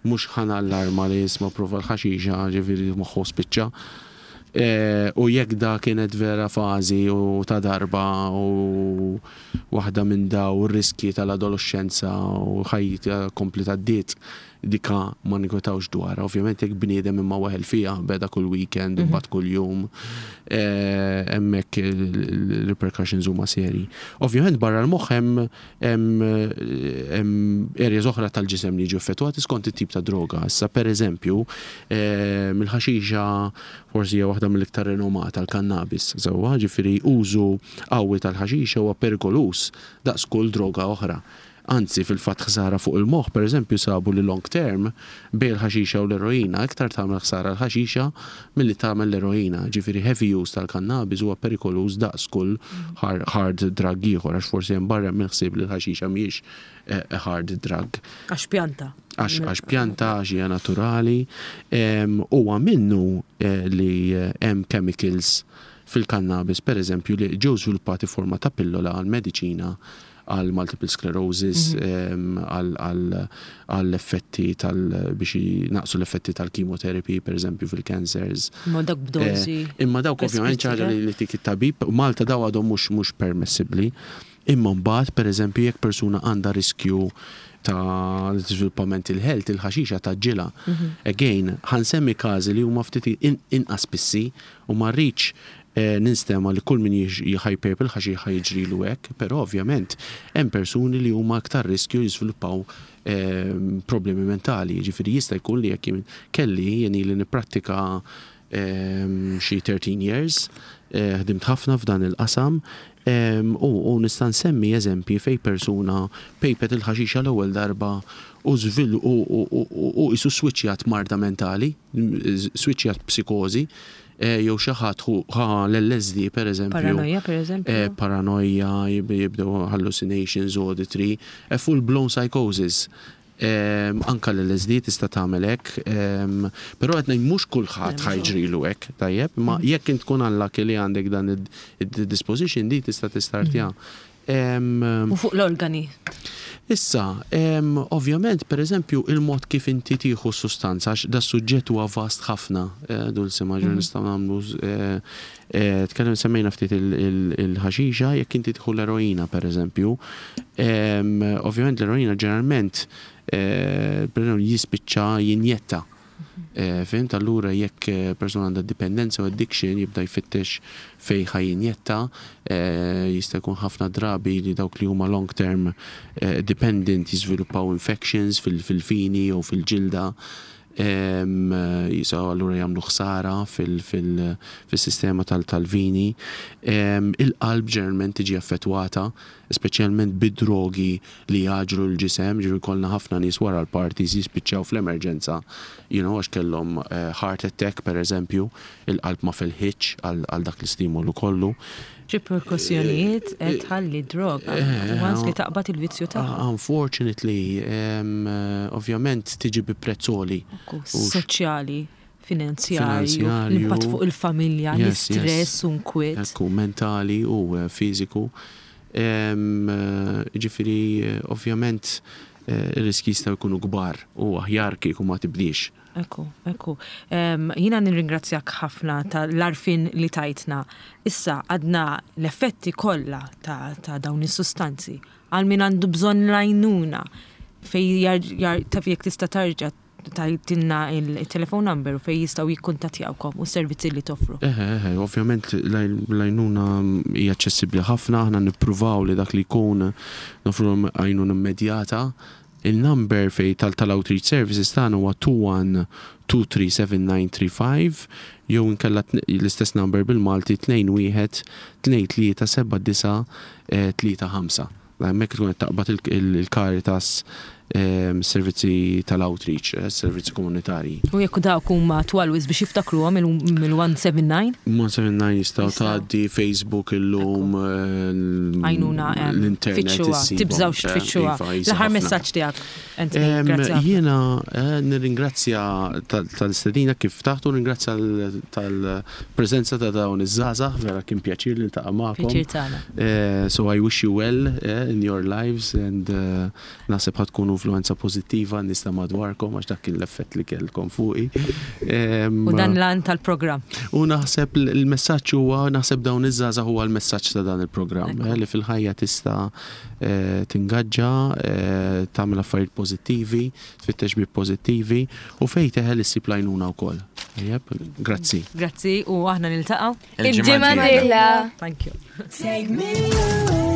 mhux ħa nallarma li jisma' prova l-ħaxixa, ġifieri moħħu spiċċa. Eh, u jekk da kienet vera fażi u ta' darba u waħda minn daw riski tal-adolescenza u ħajja kompli tad-diet dika ma ninkwetawx dwar. Ovvjament jekk bniedem imma weħel fija, beda kull weekend, mm -hmm. kull jum, eh, hemmhekk il-repercussions huma seri. Ovvjament barra l-moħħ hemm areas oħra tal-ġisem li jiġu effettwati skont it-tip ta' droga. Issa, per eżempju, eh, mill-ħaxixa forsi hija waħda mill-iktar renomata, l-kannabis. Sewwa, ġifieri użu qawwi tal-ħaxixa huwa perikoluż daqs kull droga oħra. Anzi, fil-fatt ħsara fuq il-moħħ, per eżempju, sabu li long term bejn il-ħaxixa u l-eroina iktar tagħmel ħsara l-ħaxixa milli tagħmel l-eroina. Ġifieri heavy use tal-kannabis huwa perikoluż daqs kull hard drug ieħor, għax forsi hemm barra mill-ħsieb li l-ħaxixa mhijiex eh, hard drug. Għax pjanta. Għax pjanta, għax hija naturali. Huwa minnu eh, li eh, hemm chemicals fil-kannabis, per eżempju, li ġew żviluppati forma ta' pillola għal mediċina, għal multiple sclerosis, mhm. għal effetti tal biex naqsu l-effetti tal-chemotherapy, per eżempju, fil-cancers. Ma dak b'dozi. Eh, imma dawk ovvjament ħaġa li tik it-tabib, Malta daw għadhom mhux mhux permessibbli. Imma mbagħad, per eżempju, jekk persuna għandha riskju ta' żviluppa mental health, il-ħaxixa tgħaġġilha. Mhm. Again, ħa nsemmi każi li huma ftit inqas spissi u ma rridx eh, ninstema li kull min jħajpejp il-ħaxixa jiġrilu hekk, però ovvjament hemm persuni li huma aktar riskju jiżviluppaw eh, problemi mentali. Ġifieri jista' jkun li jekk kelli jien li nipprattika eh, xi thirteen years, ħdimt ħafna f'dan il-qasam, u, u nista' nsemmi eżempji fej persuna pejpet il-ħaxixa l-ewwel darba u żvilu u isu switchjat marda mentali, switchjat psikozi, eh, jew xi ħadd ħa l-L S D, per eżempju. Paranoja, per eżempju. Eh, paranoja, jibdew hallucinations, auditory, eh, full blown psychosis. Anka l-L S D tista' tagħmel hekk, però qed ngħid mhux kulħadd ħa jiġrilu hekk, tajjeb, ma mm. jekk int tkun unlucky li għandek dan id-disposition di tista' tistartja. Mm. U fuq l-organi? Issa, ovvjament, per eżempju, il-mod kif inti tieħu sustanza, għax da suġġett huwa vast ħafna, eh, dulce maġġor mm. nistgħu nagħmlu eh, eh, tkellem semmejna ftit il-ħaxixa, jekk inti tieħu l-eroina, per eżempju, ovvjament l-eroina ġeneralment jispiċċa jinjetta. Eh, Fhimt, allura jekk eh, persuna għandha dipendenza u addiction jibda jfittex fej ħa jinjetta, eh, jista' jkun ħafna drabi li dawk li huma long term dependent jiżviluppaw infections fil-vini jew fil-ġilda. Jisaw allura jagħmlu ħsara fil-sistema tal-vini. Il-qalb ġeneralment tiġi affettwata, speċjalment bid-drogi li jgħaġġlu l-ġisem, ġifieri kollna ħafna nies wara l-parties jispiċċaw fl-emerġenza, you know, għax kellhom eh, heart attack, per eżempju, il-qalb ma felħitx għal dak l-istimolu kollu. Riperkussjonijiet qed tħalli droga. Eh, Once li taqbad il-vizzju tagħha. Uh, Unfortunately, um, uh, ovvjament tiġi bi prezz għoli. Soċjali, finanzjarju, Finanzjarju. l-impatt fuq il-familja, Yes, yes. l-istress u nkwiet. Ekku, mentali u eh, fiżiku. Em, eh, Ġifieri, eh, ovvjament, eh, ir-riski jistgħu jkunu kbar u aħjar kieku ma tibdiex. Ekku, ekku. Um, Jiena nirringrazzjak ħafna tal-għarfien li tajtna. Issa għadna l-effetti kollha ta', ta' dawn is-sustanzi. Għal min għandu bżonn l-għajnuna fej jar, jar, taf jekk tista' tarġa tgħidilna il-telefon number u fej jistgħu jikkuntattjawkom u s-servizzi li toffru. Eħe, eħe, ovvjament l-għajnuna hija aċċessibbli ħafna, aħna nippruvaw li dak li jkun noffru għajnuna immedjata. Il-number fej tal-outreach services tagħna huwa two one two three seven nine three five jew inkella l-istess number bil-Malti tnejn wieħed tnejn tlieta seba' disa' tlieta ħamsa. Hemmhekk tkun qed taqbad il-Caritas, servizzi tal-outreach, eh, servizzi komunitarji. U jekk dawk huma twal wisq biex jiftakruhom mill-one seven nine? one seven nine jistgħu tgħaddi Facebook illum, Għajnuna l-internet. Fittxuha, tibżawx tfittxuha. Iva, L-aħħar messaġġ tiegħek. Jiena eh, nirringrazzja tal-istedina kif taħtu, ringrazzja tal-preżenza ta' dawn iż-żgħażagħ, vera kien pjaċir li niltaqa' magħkom. Pjaċir tagħna. Eh, so I wish you well in your lives and naħseb ħa tkunu influenza pozittiva nies ta' madwarkom, għax dak kien l-effett li kellkom fuqi. U dan l-għan tal-programm. U naħseb il-messaġġ huwa, naħseb dawn iż-żgħażagħ huwa l-messaġġ ta' dan il-programm, eh, li fil-ħajja tista' eh, tingaġġa, eh, tagħmel affarijiet pożittivi, tfittex bi pożittivi u fejn teħel issib l-għajnuna wkoll. Grazzi. Grazzi u aħna niltaqgħu Il-ġimgħa. Thank you. Take me away.